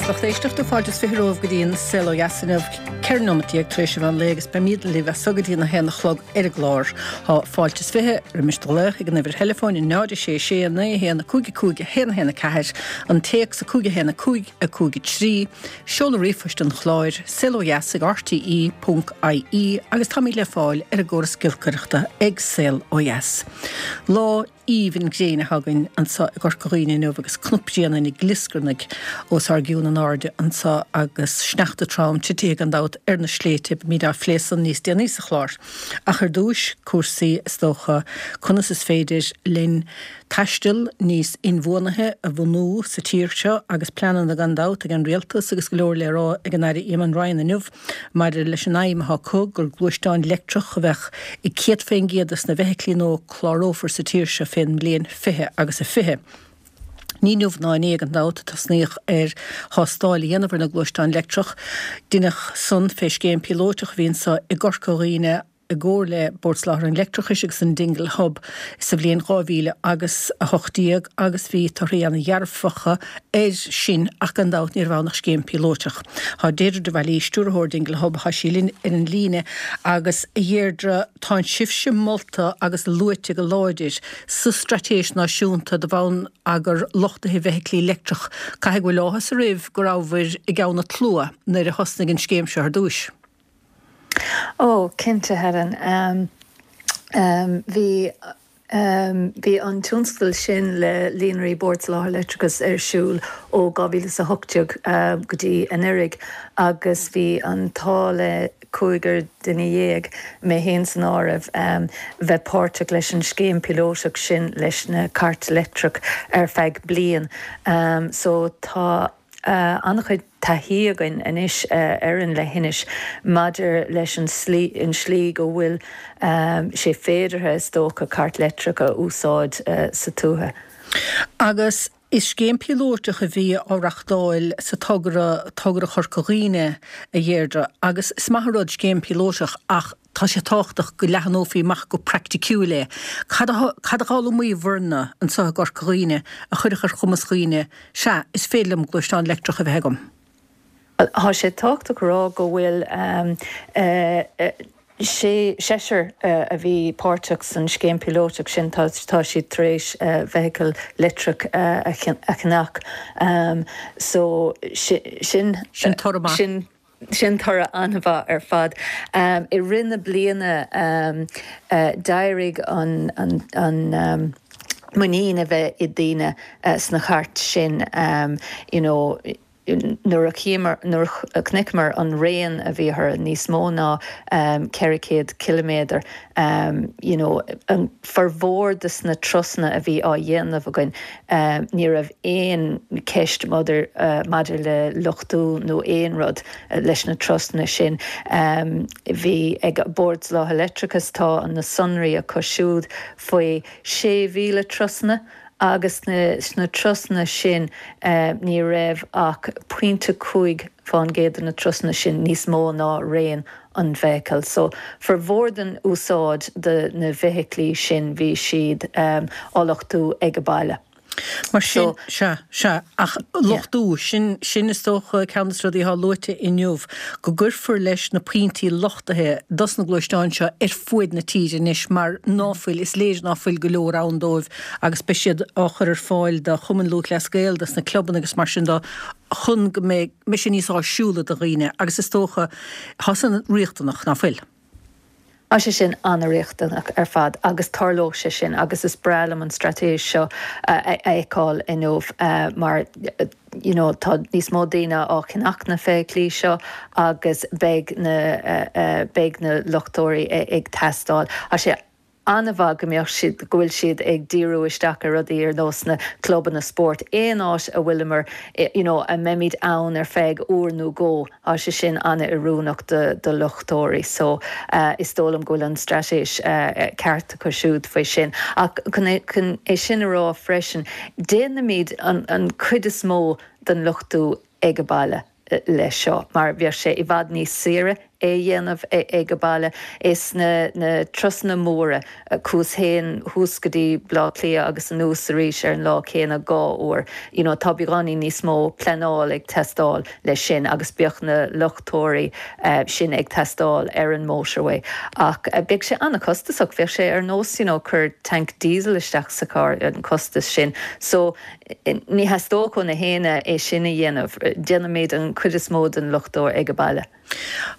Agus lucht éisteachta, fáilte is 20 romhaibh go dtí an Saol Ó Dheas inniu, 14 nóimeat tar éis an mheán lae agus beimid libh as so go dtí an 1 a chlog ar an gclár. Tá fáilte is 20 roimis do ghlaoch ag an uimhir theileafóin 0 6 6 9 1 5 5 1 1 4, an téacs 5 1 5 5 3, seoladh ríomhphoist an chláir, saolodheas ag rte ponc ie agus táimid le fáil ar an gcóras giolcaireachta ag Saol Ó Dheas. Lá. aoibhinn gréine atá againn anso i gCorca Dhuibhne inniu agus cnapghrian ina glioscarnaigh os ár gcionn in airde anso agus sneachta trom titithe gan dabht ar na sléibhte. Beimid á phlé san níos déanaí sa chlár. Ach ar dtúis, cúrsaí is dócha, conas is féidir linn taisteal níos inbhuanaithe a bhunú sa tír seo agus pleananna gan dabht ag an Rialtas agus go leor le rá ag an Aire Eamon Ryan inniu. Maidir leis an aidhm atá acu gur gluaisteáin leictreach a bheadh i 100% des na bhfeithiclí nua a clárófar sa tír seo fén mbliain 20 agus a 20. Ní inniu ná inné gan dabht a tosnaíodh ar thástáil a dhéanamh ar na gluaisteáin leictreach. Deineadh san fé scéim píolóiteach a bhí anso i gCorca Dhuibhne, i gcomhar le Bord Soláthair an Leictreachais agus an Dingle Hub sa bhliain 2000 agus 18 agus bhí torthaí ana-dhearfacha air sin ach gan dabht ní raibh ann ach scéim píolóiteach. Tá Deirdre de Bhailís, Stiúrthóir Dingle Hub, tá sí linn ar an líne agus a Dheirdre, tá sibhse molta agus luaite go láidir sa Straitéis Náisiúnta do Bhonneagar Luchtaithe Feithiclí Leictreach. Caithfidh go bhfuil áthas oraibh go rabhabhair i gceann an tslua nuair a thosnaigh an scéim seo ar dtúis. Ó, cinnte, Helen. Bhí, bhí an tionscadal sin le Líonraí Bord Soláthair Leictreachais ar siúl ó 2018 go dtí anuraidh agus bhí an t-ádh le cúigear duine dhéag, mé féin san áireamh, bheith páirteach leis an scéim píolótach sin leis na cairt leictreach ar feadh bliain. So tá. an-chuid taithí againn anois ar an leithinis maidir leis an slí, an slí go bhfuil sé féideartha, is dócha, cairt leictreach a úsáid sa tuaithe. Agus is scéim píolóiteach a bhí á reachtáil sa togra, Togra Chorca Dhuibhne, a Dheirdre, agus is maith an rud scéim píolóiteach ach tá sé tábhachtach go leathanófaí amach go praiticiúil é. Cad a cad a d'fhoghlaimíobhairne anseo i gCorca Dhuibhne a chuirfeadh ar chumas dhaoine, sea, is féidir liom gluaisteán leictreach a bheith agam? Bhuel, tá sé tábhachtach a rá go bhfuil sé, seisear a bhí páirteach san scéim píolótach sin, tá tá siad tar éis feithicil leictreach a cheannach. So sin, Sin toradh maith. sin. Sin toradh an-mhaith ar fad. I rith na bliana d'éirigh an muinín a bheith i daoine sna chairt sin you know nuair a chíomar, nuair a chonaiceamar an raon a bhí orthu, níos mó ná 400 ciliméadar you know an formhór de sna turasanna a bhí á dhéanamh againn ní raibh aon cheist maidir maidir le luchtú nó aon rud leis na turasanna sin. Bhí ag Bord Soláthair Leictreachais, tá na sonraí acu siúd faoi 6,000 turasanna agus sna turasanna sin ní raibh ach pointe 5 fán gcéad de na turasanna sin níos mó ná raon an bhfeithicil. So, formhór den úsáid de na bhfeithiclí sin bhí siad á luchtú ag a baile. Mar sin, sea, sea, ach luchtú, sin, sin is dócha ceann de na rudaí atá luaite inniu, go gcuirfear leis na pointí luchtaithe dos na gluaisteáin seo ar fuaid na tíre anois mar ná fuil, is léir ná fuil go leor ann dóibh agus beidh siad á chur ar fáil do Chumann Lúthchleas Gael, dos na clubanna agus mar sin de chun go mbeidh, mbeidh sé níos áisiúla do dhaoine agus is dócha, tá san riachtanach, ná fuil? Tá sé sin an-riachtanach ar fad agus tarlóidh sé sin agus is breá liom an straitéis seo a fheiceáil inniu mar you know tá níos mó daoine á cheannach na feithiclí seo agus beidh na beidh na luchtóirí ag teastáil. Tá sé an-mhaith go mbeadh siad, go bhfuil siad ag díriú isteach ar rudaí ar nós na clubanna spóirt, aon áit a bhfuileamar, you know, a mbeimid ann ar feadh uair nó dhó, tá sé sin an-oiriúnach do, do luchtóirí. So, is dóigh liom go bhfuil an straitéis ceart acu siúd faoi sin. Ach chun é, chun é sin a rá freisin, déanaimid an, an chuid is mó den luchtú ag an baile. leis seo, mar bheadh sé i bhfad níos saoire. é a dhéanamh ag an baile. Is na na turasanna móra, Cuas Fhéin thuas go dtí Baile Átha Cliath agus anuas arís ar an lá céanna dhá uair. You know tá beagáinín níos mó pleanáil ag teastáil leis sin agus beadh na luchtóirí sin ag teastáil ar an motorway. Ach beidh sé an-chostasach, bheadh sé ar nós you know cur tank diesel isteach sa charr an costas sin. So ní theastódh ó na héinne é sin a dhéanamh. Déanaimid an chuid is mó den luchtóir ag an baile.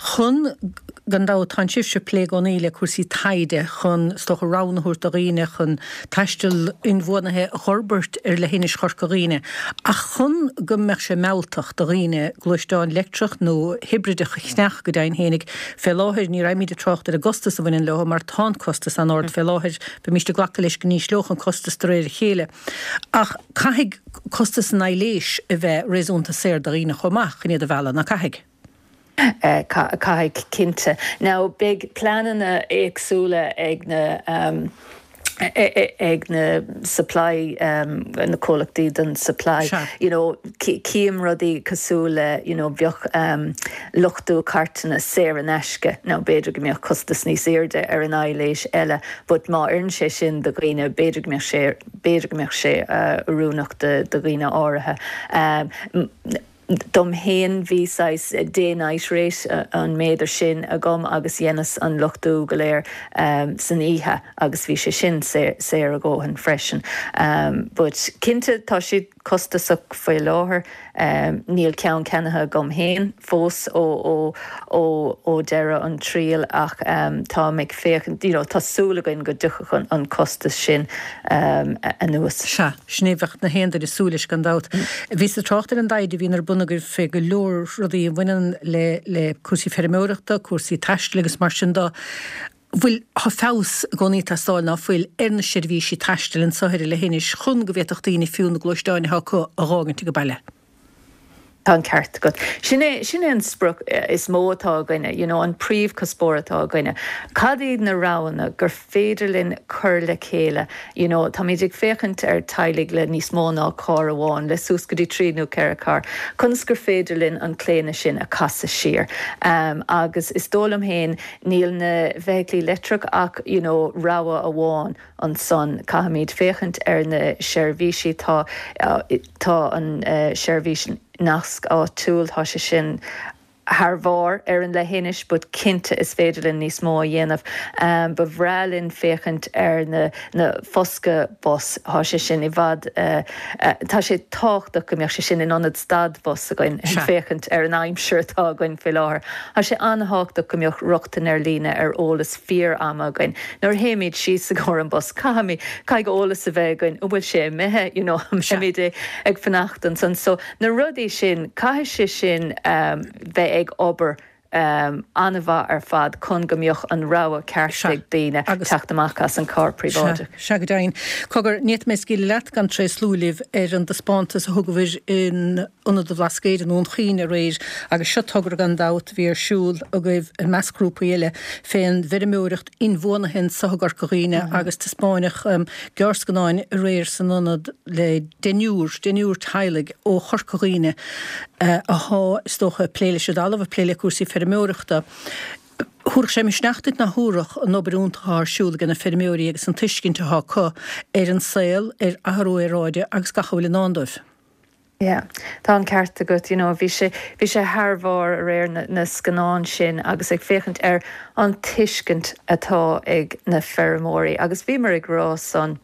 Chun, gan dabht, tánn sibhse ag plé i gcónaí le cúrsaí taighde chun, is dócha, roghanna a thabhairt do dhaoine chun taisteal inbhuanaithe a dh'fhorbairt ar leithinis Chorca Dhuibhne. Ach chun go mbeadh sé mealltach do dhaoine gluaisteán leictreach nó hibrideach a cheannach go deimhin fhéinig, fé láthair ní raghaimid ag trácht ar an gcostas a bhaineann leo mar tá an costas an-ard fé láthair, beimíst ag glacadh leis go n-ísleodh an costas de réir a chéile. Ach caithfidh costas an aidhléis a bheith réasúnta saor do dhaoine chomh maith chun iad a mhealladh, ná caithfidh? Caithfidh, cinnte. Now, beidh pleananna éagsúla ag na ag na supply, na comhlachtaí don supply. You know, cím rudaí cosúil le, you know, bheadh luchtú cairteanna saor in aisce. Now, b'fhéidir go mbeadh costas níos airde ar an aidhléis eile, but má oireann sé sin do dhaoine, b'fhéidir go mbeadh sé, b'fhéidir go mbeadh sé oiriúnach do dhaoine áirithe. Dom fhéin bhí saghas day night rate, an méadar sin agam agus dheineas an luchtú go léir san oíche agus bhí sé sin saor a dhóthain freisin. But cinnte tá siad costasach faoi láthair. Níl ceann ceannaithe agam féin fós ó ó deireadh an triail ach táim ag féachaint, you know, tá súil againn go dtiocfadh an costas sin anuas. Sea, sin é a bheadh na haon duine ag súil leis gan dabht. Bhíos ag trácht ar an dtaighde a bhíonn ar bun agaibh fé go leor rudaí a bhaineann le le cúrsaí feirmeoireachta, cúrsaí taistil agus mar sin de. Bhfuil, tá feabhas i gcónaí ag teastáil, ná fuil, ar na seirbhísí taistil anso ar an leithinis chun go bhféadfadh daoine fiú na gluaisteáin atá acu a dh'fhágaint ag an baile? Tá an ceart agat. Sin é, sin é an sprioc is mó atá againne, you know, an príomhchuspóir atá againne. Cad iad na roghanna gur féidir linn cur le chéile, you know, táimid ag féachaint ar teaghlaigh le níos mó ná carr amháin, le suas go dtí trí nó ceithre charr, conas gur féidir linn an claonadh sin a chasadh siar? Agus is dóigh liom féin, Níl na feithiclí leictreach ach you know rogha amháin ansan. Caithfimid féachaint ar na seirbhísí. Tá tá an seirbhís nasc áitiúil, tá sé sin thar bharr ar an leithinis but cinnte is féidir linn níos mó a dhéanamh. Ba bhreá linn féachaint ar na na foscadh bus, tá sé sin i bhfad, tá sé tábhachtach go mbeadh sé sin in ionad stad bus againn ag féachaint ar an aimsir atá againn faoi láthair. Tá sé an-thábhachtach go mbeadh rochtain ar líne ar eolas fíor-ama againn. Nuair a théimid síos i gcomhair an bus, caithfimid, caithfidh eolas a bheith againn, an bhfuil sé imithe, you know, an mbeimid ag fanacht ansan. So na rudaí sin, caithfidh sé sin bheith ag obair an-mhaith ar fad chun go mbeadh an rogha ceart ag daoine teacht amach as an carr príobháideach. Sea, go deimhin. Cogar, ní fhéadfaidh mé scaoileadh leat gan tréaslú libh ar an dtaispeántas a thugabhair in Ionad an Bhlascaoid i nDún Chaoin aréir agus seo togra gan dabht a bhí ar siúl agaibh i measc grúpaí eile fén bhfeirmeoireacht inbhuanaithe anso i gCorca Dhuibhne agus taispeáineadh gearrscannáin aréir san ionad le deichniúr, deichniúr teaghlaigh ó Chorca Dhuibhne athá, is dócha, ag plé leis an dtalamh, ag plé le cúrsaí feirmeoireachta. Thabharfadh sé misneach duit ná thabharfadh, an obair iontach athá ar siúl age na feirmeoirí agus an tuiscint athá acu ar an saol, ar athrú aeráide agus gach a bhfuil i ndán dóibh. Yeah, tá an ceart agat, you know, bhí sé, bhí sé thar bharr aréir na, na scannáin sin agus ag féachaint ar an tuiscint atá ag na feirmeoirí agus bhíomar ag rá san,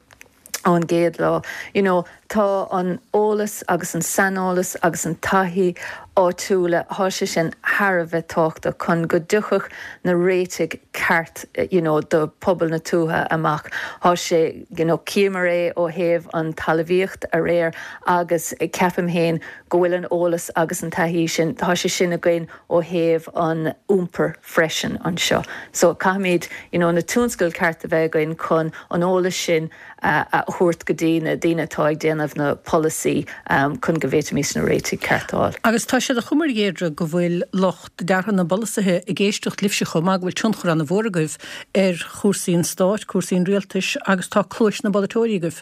ón gcéad lá. You know, tá an eolas agus an saineolas agus an taithí áitiúla, thá sé sin thar a bheith tábhachtach chun go dtiocfadh na réitigh ceart you know do pobal na tuaithe amach. Thá sé, you know, chíomar é ó thaobh an talmhaíocht aréir agus ceapaim féin go bhfuil an eolas agus an taithí sin, tá sé sin againn ó thaobh an iompair freisin anseo. So caithfimid you know na tionscadail ceart a bheith againn chun an eolas sin a thabhairt go dtí na daoine atá ag déanamh na polasaí chun go bhféadfaimis na réitigh ceart a fháil. Agus tá sé de chuma ar Dheirdre go bhfuil lucht deartha na bpolasaithe ag éisteacht libhse chomh maith, go bhfuil tionchar an-mhór agaibh ar chúrsaí an stáit, cúrsaí an rialtais agus tá cluais na bpolaiteoirí agaibh.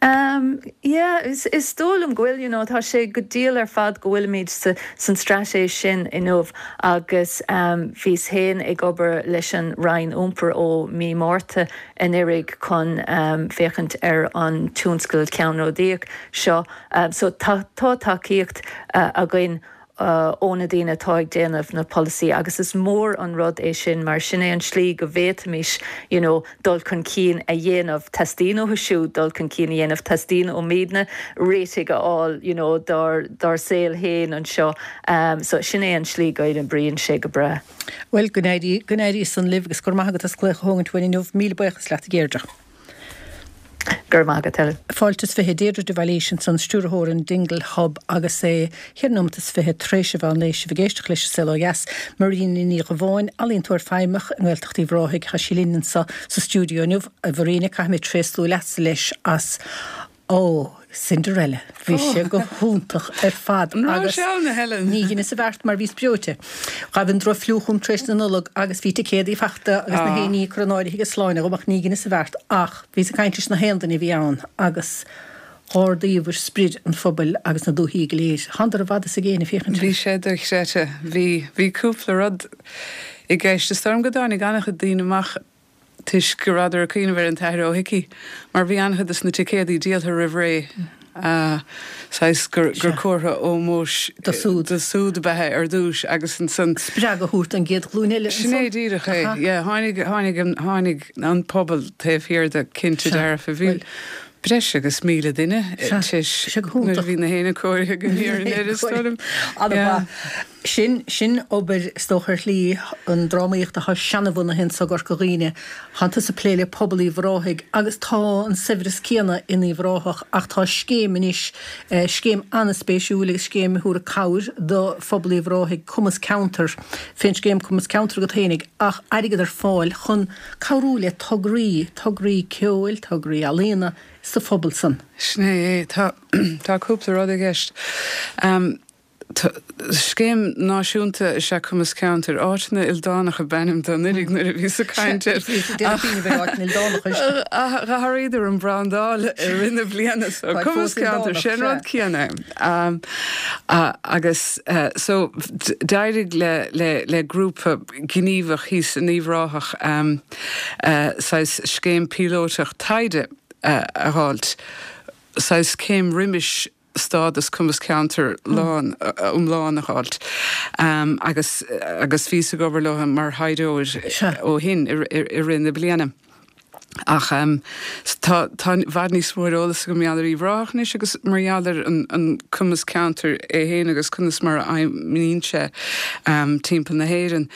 Um yeah, is is dóigh liom go bhfuil, you know, tá sé go diail ar fad go bhfuilimid sa san straitéis sin inniu agus um bhíos féin ag obair leis an Roinn Iompair ó mí Márta anuraidh chun um féachaint ar an tionscal ceannródaíoch seo. Um so tá tá tacaíocht uh againn ó na daoine atá ag déanamh na polasaí agus is mór an rud é sin mar sin é an slí go bhféadfaimis you know dul chun cinn a dhéanamh, teastaíonn uathu siúd dul chun cinn a dhéanamh, teastaíonn uaimidne réitigh a fháil you know dár dár saol féin anseo so sin é an slí go n-oibríonn sé go breá. Bhuel, go n-éirí, go n-éirí san libh agus go raibh maith agat as glaoch a thógaint uainn inniu. Míle buíochas leat a Dheirdre. Go raibh maith agat, Helen. Fáilte is 20, Deirdre de Bhailís ansan, Stiúrthóir an Dingle Hub agus é cheithre nóimeat is 20 tar éis an mheán lae, sibh ag éisteacht leis an Saol Ó Dheas. Marina Ní Dhubháin, ealaíontóir feidhmeach i nGaeltacht Uíbh Ráthaigh, tá sí linn anso sa stiúideo inniu. A Mharina, caithfidh mé tréaslú leatsa leis as Ó, Cinderella, bhí sé go hiontach ar fad An raibh agus sé ann, a Helen? ní dheineas a bheart mar bhíos breoite. Ghabh an droch-fhliú chugam tar éis na Nollag agus bhí ticéadaí fachta agus na haon ní curtha in áirithe agus sláine agam ach ní dheineas a bheart ach bhíos ag caint leis na haon duine a bhí ann agus dh'ardaíobhair sprid an phobail agus na dúthaí go léir. Thánadar i bhfad is i gcéin ag féachaint Bhí sé dochreidte. Bhí, bhí cúpla rud i gceist. Is dóigh liom go dtáinig an-chuid daoine amach toisc go rabhadar ag cuimhneamh ar an tAthair Ó hIcí, mar bhí an-chuid de na ticéadaí díoltha roimh ré, saghas gur comhartha ómóis do siúd ab ea é ar dtús agus ansan. spreagadh a thabhairt don gcéad ghlúin eile ansan. Sin é díreach é, yeah. Tháinig, tháinig an, tháinig an pobal taobh thiar de, cinnte dearfa. Bhí breis agus 1,000 duine tar éis nuair a bhí na héinne cóirithe go hIarraidh, is dóigh liom. An-mhaith. Sin, sin obair, is dócha, ar shlí an drámaíocht atá seanabhunaithe anso i gCorca Dhuibhne. Tánn tusa ag plé le pobal Uíbh Ráthaigh agus tá an saibhreas céanna in Uíbh Ráthach ach tá scéim anois, scéim an-spéisiúil agus scéim a thabharfaidh cabhair do phobal Uíbh Ráthaigh, Cumas Ceantar, fén scéim Cumas Ceantar agat fhéinig ach airgead ar fáil chun cabhrú le tograí, tograí ceoil, tograí ealaíona sa phobal san. Sin é é. Tá, tá cúpla rud i gceist. Scéim náisiúnta is ea Cumas Ceantair. Áiteanna Ildánacha ab ainm dó anuraidh nuair a bhíos ag caint air. Ach d'athraíodar an brandáil i rith na bliana so Cumas Ceantair, sé an rud céanna é. Agus so d'éirigh le grúpa gníomhach thíos in Uíbh Ráthach saghas scéim píolótach taighde a dh'fháilt, saghas céim roimis stádas Cumas Ceantair lán, iomlán a dh'fháilt agus agus bhíos ag obair leo mar thaighdeoir ó shin i rith na bliana. Ach tá tá i bhfad níos mó ar eolas agam mar gheall ar Uíbh Ráthach anois agus mar gheall ar an an Cumas Ceantair é féin agus conas mar a fheidhmíonn sé timpeall na hÉireann.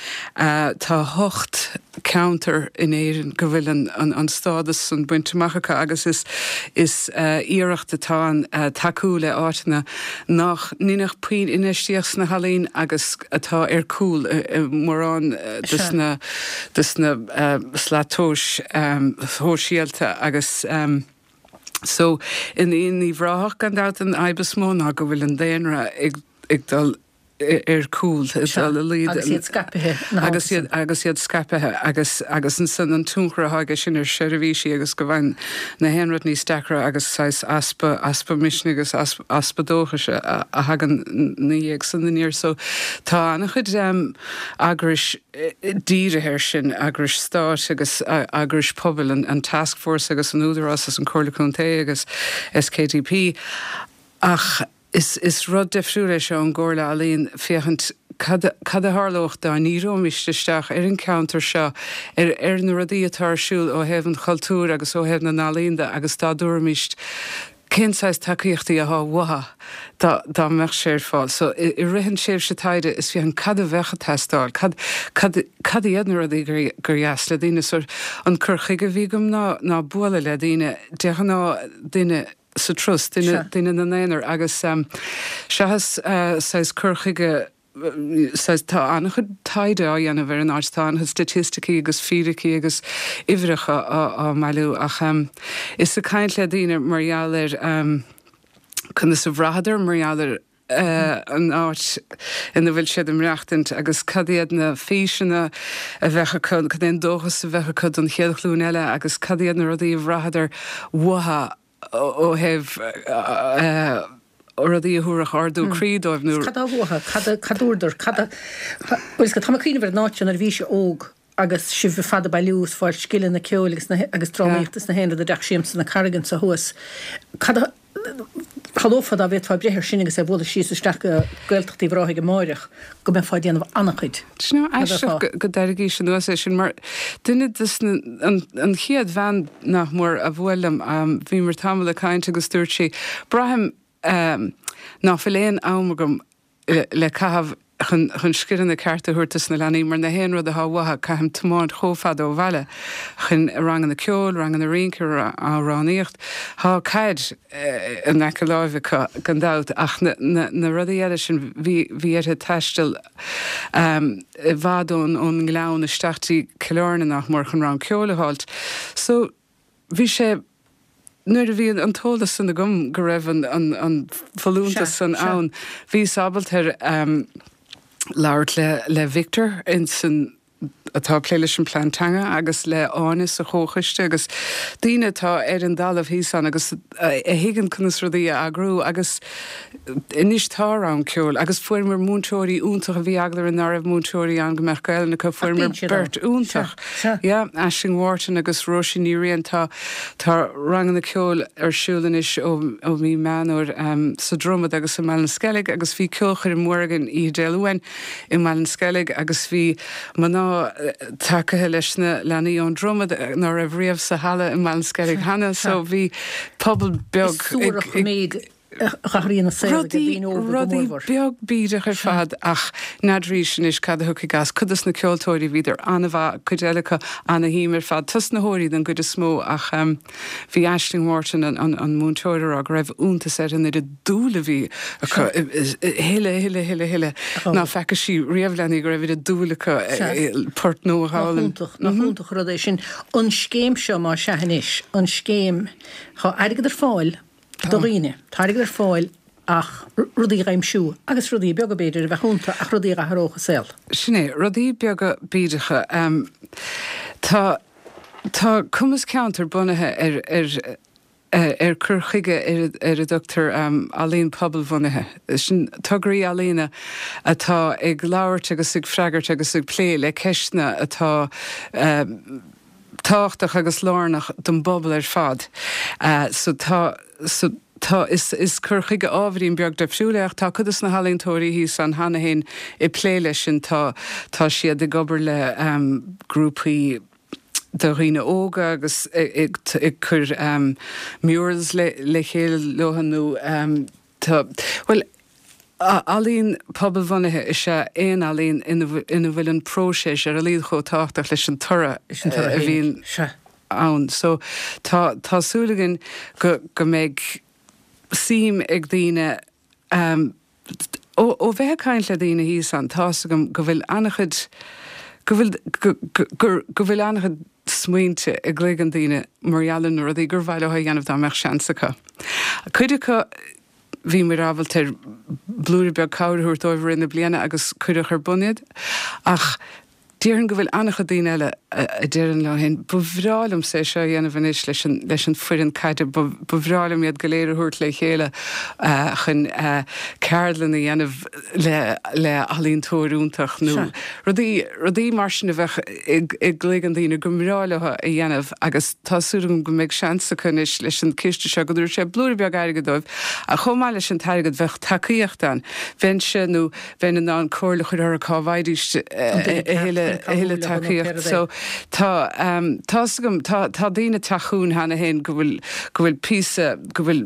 Tá hocht ceantar in Éirinn go bhfuil an stádas san bainte amach acu agus is is iarracht atá ann tacú le áiteanna nach ndeineadh puinn infheistíocht sna healaíona agus atá ar cúl i mórán de na de na slat tomhais shóisialta agus so in Uíbh Ráthach gan dabht an fhadhb is mó ná go bhfuil an daonra ag ag dul ar cúl, ag dul i laghad. Agus iad scaipthe, na Agus iad, agus iad scaipthe agus, agus ansan an tionchar atá aige sin ar sheirbhísí agus go bhfaigheann na haon rud níos deacra agus saghas easpa, easpa misnigh agus easpa dóchais a, a thagann 'na dhiaidh san aniar. So tá an-chuid eagrais dírithe air sin, eagrais stáit agus eagrais pobail, an, an Taskforce agus an Údarás agus an Comhairle Contae agus SKDP ach, Is is rud difriúil é seo ón gComhairle Ealaíon, féachaint cad cad a tharlódh dá ndíreoimist isteach ar an cheantar seo, ar ar na rudaí atá ar siúl ó thaobh an chultúir agus ó thaobh na n-ealaíon de agus dá dtabharfaimist cén saghas tacaíochtaí atá uathu dá dá mbeadh sé ar fáil. So i i rith an tréimhse taighde is féachaint cad a bheadh ag teastáil, cad cad cad iad na rudaí gur gur dheas le daoine. So an cur chuige a bhí agam ná ná bualadh le daoine, de ghnáth duine sa turas, duine, duine ina n-aonar agus seachas saghas cur chuige saghas, tá an-chuid taighde á dhéanamh ar an áit, tá an-chuid staitisticí agus fíricí agus uimhreacha á mbailiú ach is ag caint le daoine mar gheall ar conas a bhraitheadar mar gheall ar an áit ina bhfuil siad ag maireachtaint agus cad iad na físeanna a bheadh acu, cad é an dóchas a bheadh acu don chéad ghlúin eile agus cad iad na rudaí a bhraitheadar uathu. ó thaobh rudaí a thabharfadh ardú croí dóibh nó. Cad tá uathu? Cad a, cad dúradar? Cad a, bhuel, tá mé ag cuimhneamh ar an áit seo nuair a bhíse óg agus sibh ar fad ag bailiú is fáil scileanna ceoil agus na, agus drámaíochta is na haon rud i dteach siamsa na Carraige anso thuas. Cad a, shamhlófá dá bhféadfá breith air sin agus é a bhualadh síos isteach go Gaeltacht Uíbh Ráthaigh amáireach go mbeifeá ag déanamh an-chuid. Do you know, aisteach go dtairgís anuas é sin mar duine des na, an, an chéad bhean nach mór a bhuail liom, bhíomar tamall ag caint agus dúirt sí, braithim nach bhfuil aon am agam le caitheamh chun chun scileanna cearta a thabhairt dos na leanaí mar na haon rud atá uathu caithim tiomáint chomh fada ó bhaile chun ranganna ceoil, ranganna rince, amhránaíocht. Tá caid in aice láimhe acu gan dabht ach na na na rudaí eile sin bhí bhí uirthi taisteal i bhfad ón ón nGleann isteach dtí Cill Airne nach mór chun rang ceoil a fháilt. So bhí sé Nuair a bhí an t-eolas san agam go raibh an folúntas san ann, bhíos ábalta labhairt le Victor insan, atá ag plé leis an plean teanga agus le Áine sa chomhchoiste agus daoine atá ar an dtalamh thíos ann agus a thuigeann conas rudaí a eagrú agus anois tá rang ceoil agus fuaireamar múinteoirí iontacha, bhí eagla orainn ná raibh múinteoirí ann go mbeadh Gaelainn acu, fuaireamar beirt iontach. Yeah, Aisling Wharton agus Róisín Ní Riain. Tá tá ranganna ceoil ar siúl anois ó ó mhí Meán Fhómhair sa Dromad agus i mBallinskellig agus bhí ceolchoirm mhór againn oíche Dé Luain i mBallinskellig agus bhí mná tacaithe leis na leanaí ón Dromad ná raibh riamh sa halla i mBallinskellig cheana so bhí pobal beag Is suarach an méid a athraíonn an saol ag daoine óga go Rudaí mórmhór. beag bídeach ar fad ach n'fheadraís anois cad a thiocfaidh as. Cuid dos na ceoltóirí bhíodar an-mhaith, cuid eile acu ana-shuim ar fad. Tosnaitheoirí den gcuid is mó ach bhí Aisling Wharton an múinteoir a rá go raibh iontas uirthi an oiread dúil a bhí acu a thuilleadh, a thuilleadh, a thuilleadh, a thuilleadh ná feaca sí riamh leanaí go raibh oiread dúil acu port nua a Nach fhoghlaim. iontach, nach iontach an rud é sin. An scéim seo má sea anois, an scéim, tá airgead ar fáil do dhaoine. Tá airgead ar fáil ach rudaí a aimsiú, agus rudaí beaga b'fhéidir a bheadh iontu ach rudaí a athródh a saol. Sin é, rudaí beaga bídeacha. Tá, tá Cumas Ceantair bunaithe ar, ar, ar cur chuige ar, ar a dtugtar ealaín pobalbhunaithe. Sin tograí ealaíne atá ag labhairt agus ag freagairt agus ag plé le ceisteanna atá, tábhachtach agus lárnach don bpobal ar fad. So tá, so tá, is, is cur chuige ábhairín beag difriúil é ach tá cuid de na healaíontóirí thíos ann cheana féin ag plé leis sin. Tá, tá siad ag obair le grúpaí de dhaoine óga agus ag, ag cur murals le, le chéile leo nó tá, bhuel, Ealaín pobalbhunaithe is ea aon ealaín ina bhfuil an próiseas ar a laghad chomh tábhachtach leis an toradh a bhíonn ann. So tá tá súil againn go go mbeidh suim ag daoine ó ó bheith ag caint le daoine thíos ann tá's agam go bhfuil an-chuid go bhfuil go go go bhfuil an-chuid smaointe i gcloigeann daoine mar gheall ar na rudaí gur mhaith leo a dhéanamh dá mbeadh seans acu. Cuid acu Bhíomar ábalta ar blúire beag cabhair a thabhairt dóibh i rith na bliana agus cuireadh ar bun iad. Ach déarfainn go bhfuil an-chuid daoine eile a deireann leo féin, 'Ba bhreá liomsa é seo a dhéanamh anois leis an, leis an foireann caide, ba, ba bhreá liom iad go léir a thabhairt le chéile chun ceardlann a dhéanamh le, le ealaíontóir iontach' nó rudaí, rudaí mar sin a bheadh i, i gcloigeann daoine go mbreá leo a dhéanamh agus tá súil agam go mbeidh seans acu anois leis an ciste seo go dtabharfaidh sé blúire beag airgid dóibh ach chomh maith leis an t-airgead bheadh tacaíocht ann. Bheinnse nó bheinn in ann comhairle a chur orthu cá bhfaighidís a thuilleadh tacaíocht. So tá tá's agam tá tá daoine ag teacht chugainn cheana féin go bhfuil go bhfuil píosa go bhfuil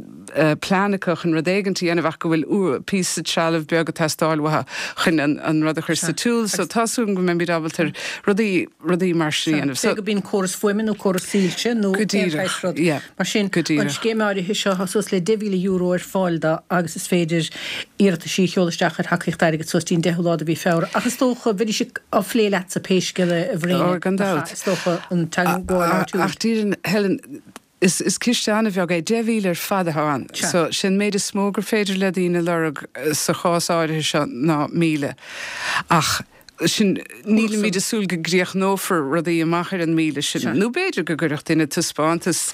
plean acu chun rud éigint a dhéanamh ach go bhfuil píosa trealamh beag ag teastáil uathu chun an rud a chur sa tsiúl. So tá súil agam go mbeimid ábalta rudaí, rudaí mar sin a dhéanamh. Pé go bíonn córas fuaime nó córas soilse nó Go aon díreach, saghas rud yeah, mar sin. go An díreach. scéim áirithe seo, tá suas le €10,000 ar fáil dó agus is féidir iarrataisí a sheoladh isteach ar thacaíocht airgid suas dtí'n 10ú lá de mhí Feabhra. Ach is dócha, bheidís á phlé leatsa pé scéal é a Bhréine, Ó, gan nach ea? dabht. Is dócha an teagmháil áitiúil. Ach déarfainn, Helen, Is ciste an-bheag é, 10,000 ar fad atá ann. So, sé an méid is mó gur féidir le daoine lorg sa chás áirithe seo ná 1,000. Ach. Sin, nílimid ag súil go gcríochnófar rudaí amach ar an 1,000 sin, nó b'fhéidir go gcuirfeadh duine taispeántas,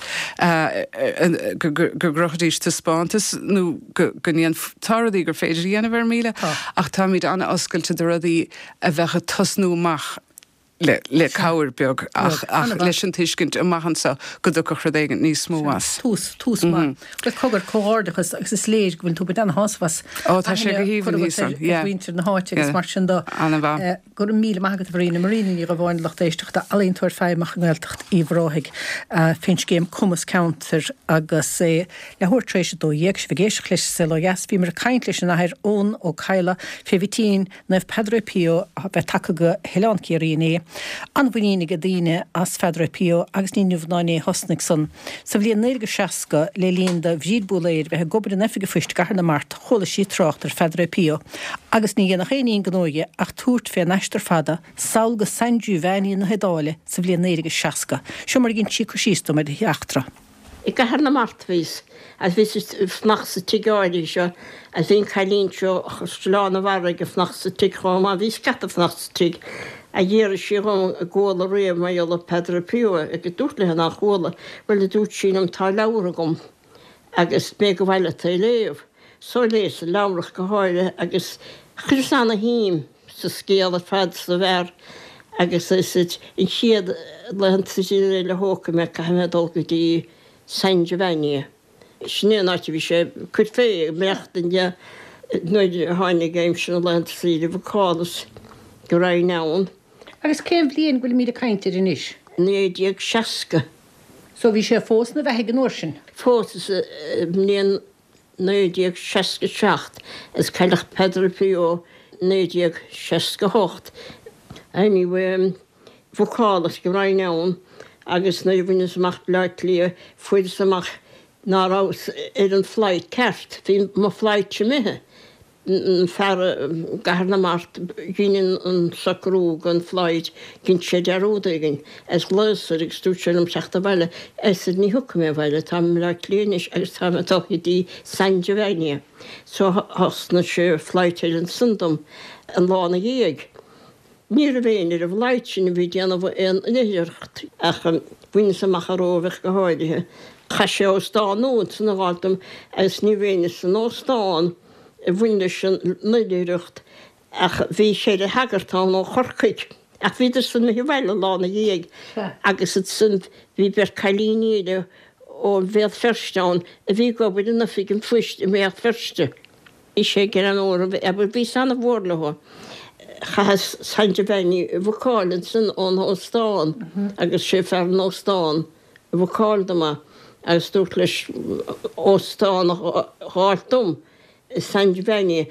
go gcrochfaidís taispeántas nó go ndéanf-, tá rudaí gur féidir a dhéanamh ar 1,000, ach táimid an-oscailte do rudaí a bheadh ag tosnú amach le cabhair beag ach leis an tuiscint amach anseo go dtiocfadh rud éigin níos mó as. Tús, tús maith. Bhuel, cogar, comhghairdeachas agus is léir go bhfuil tú ag baint ana-shásamh as. Ó, tá sé go haoibhinn thíos ann, yeah. Ar mhuintir na háite agus mar sin de. An-mhaith. Go raibh míle maith agat a Mharina. Marina Ní Dhubháin, lucht éisteachta, ealaíontóir feidhmeach i nGaeltacht Uíbh Ráthaigh, fén scéim Cumas Ceantair agus é leathuair tar éis 12, sibh ag éisteacht leis An Saol Ó Dheas. Bhíomar ag caint leis an Athair Eoin Ó Cadhla fé mhitín Naomh Padre Pio a bheith tagtha go hOileán Ciarraí inné. An-mhuinín ag daoine as Phadre Pio agus ní inniu ná inné a thosnaigh san. Sa bhliain 1960, le linn do Bhríd Búlaeir bheith ag obair in Oifig an Phoist i gCathair na Mart, chuala sí trácht ar Phadre Pio agus ní dhéanfadh aon ní an gnó dhi ach tabhairt fén aistear fada sall go San Giovanni na hIodáile sa bhliain 1960. Seo mar a dh'ins sí cur síos dom ar an eachtra. I gCathair na Mart a bhíos agus bhíos ag fanacht sa tigh áirithe seo agus bhí an cailín seo ó Chaisleán an Bharraigh ag fanacht sa tigh chomh maith. Bhí scata ag fanacht sa tigh a d'fhiafraigh sí dhom an gcuala riamh mar gheall ar Padre Pio agus dúrt léi nár chuala. Bhuel a dúirt sí liom tá leabhar agam agus mé ag gabháil leat é a léamh. So léas an leabhar ach go háirithe agus chuireas ana shuim sa scéal ar fad sa bhfear agus is an chéad laethanta saoire eile a thógfaidh mé caithfidh mé dul go dtí San Giovanni. Sin é an áit a bhí sé ag cur fé, ag maireachtaint de nuair a tháinig aimsir na laethanta saoire bhucálas go raghainn ann. Agus cén bhliain go bhfuilimid ag caint air anois? 1960. So bhí sé fós ina bheathaidh an uair sin? Fós sa mbliain 1967 is cailleadh Padre Pio 1968. Anyway, bhucálas go raghainn ann agus nuair a bhaineas amach Bleá Cliath fuaireas amach ná rabhas ar an flight ceart. Bhí mo flight imithe. An fear i gCathair na Mart dhein an socrú don flight, dhein sé dearúd éigin agus ghlaos air agus dúirt sé liom teacht abhaile. I said ní thiocfaidh mé abhaile, táim i mBleá Cliath anois agus táim ag dul go dtí San Giovanni. So thosnaigh sé flight eile ansan dom an lá ina dhiaidh. Ní raibh éinne ar an bhflight sin a bhí ag déanamh aon oilithreacht ach bhaineas amach an Róimh ach go háirithe. Chaith sé óstán nua ansan a fháil dom agus ní raibh éinne san óstán a bhain leis an oilithreacht ach bhí cheithre shagart ann ó Chorcaigh ach bhíodar san imithe abhaile an lá ina dhiaidh agus ansan bhí beirt cailíní eile ó Bhéal Feirste ann a bhí ag obair in oifig an phoist i mBéal Feirste. Bhí sé greannmhar, abair, bhíos ana-mhór leo. Chaitheas San Giovanni a bhucáil ansan ón óstán agus sé fear an óstán a bhucáil dom é agus dúrt leis óstán a dh'fháilt dom i San Giovanni.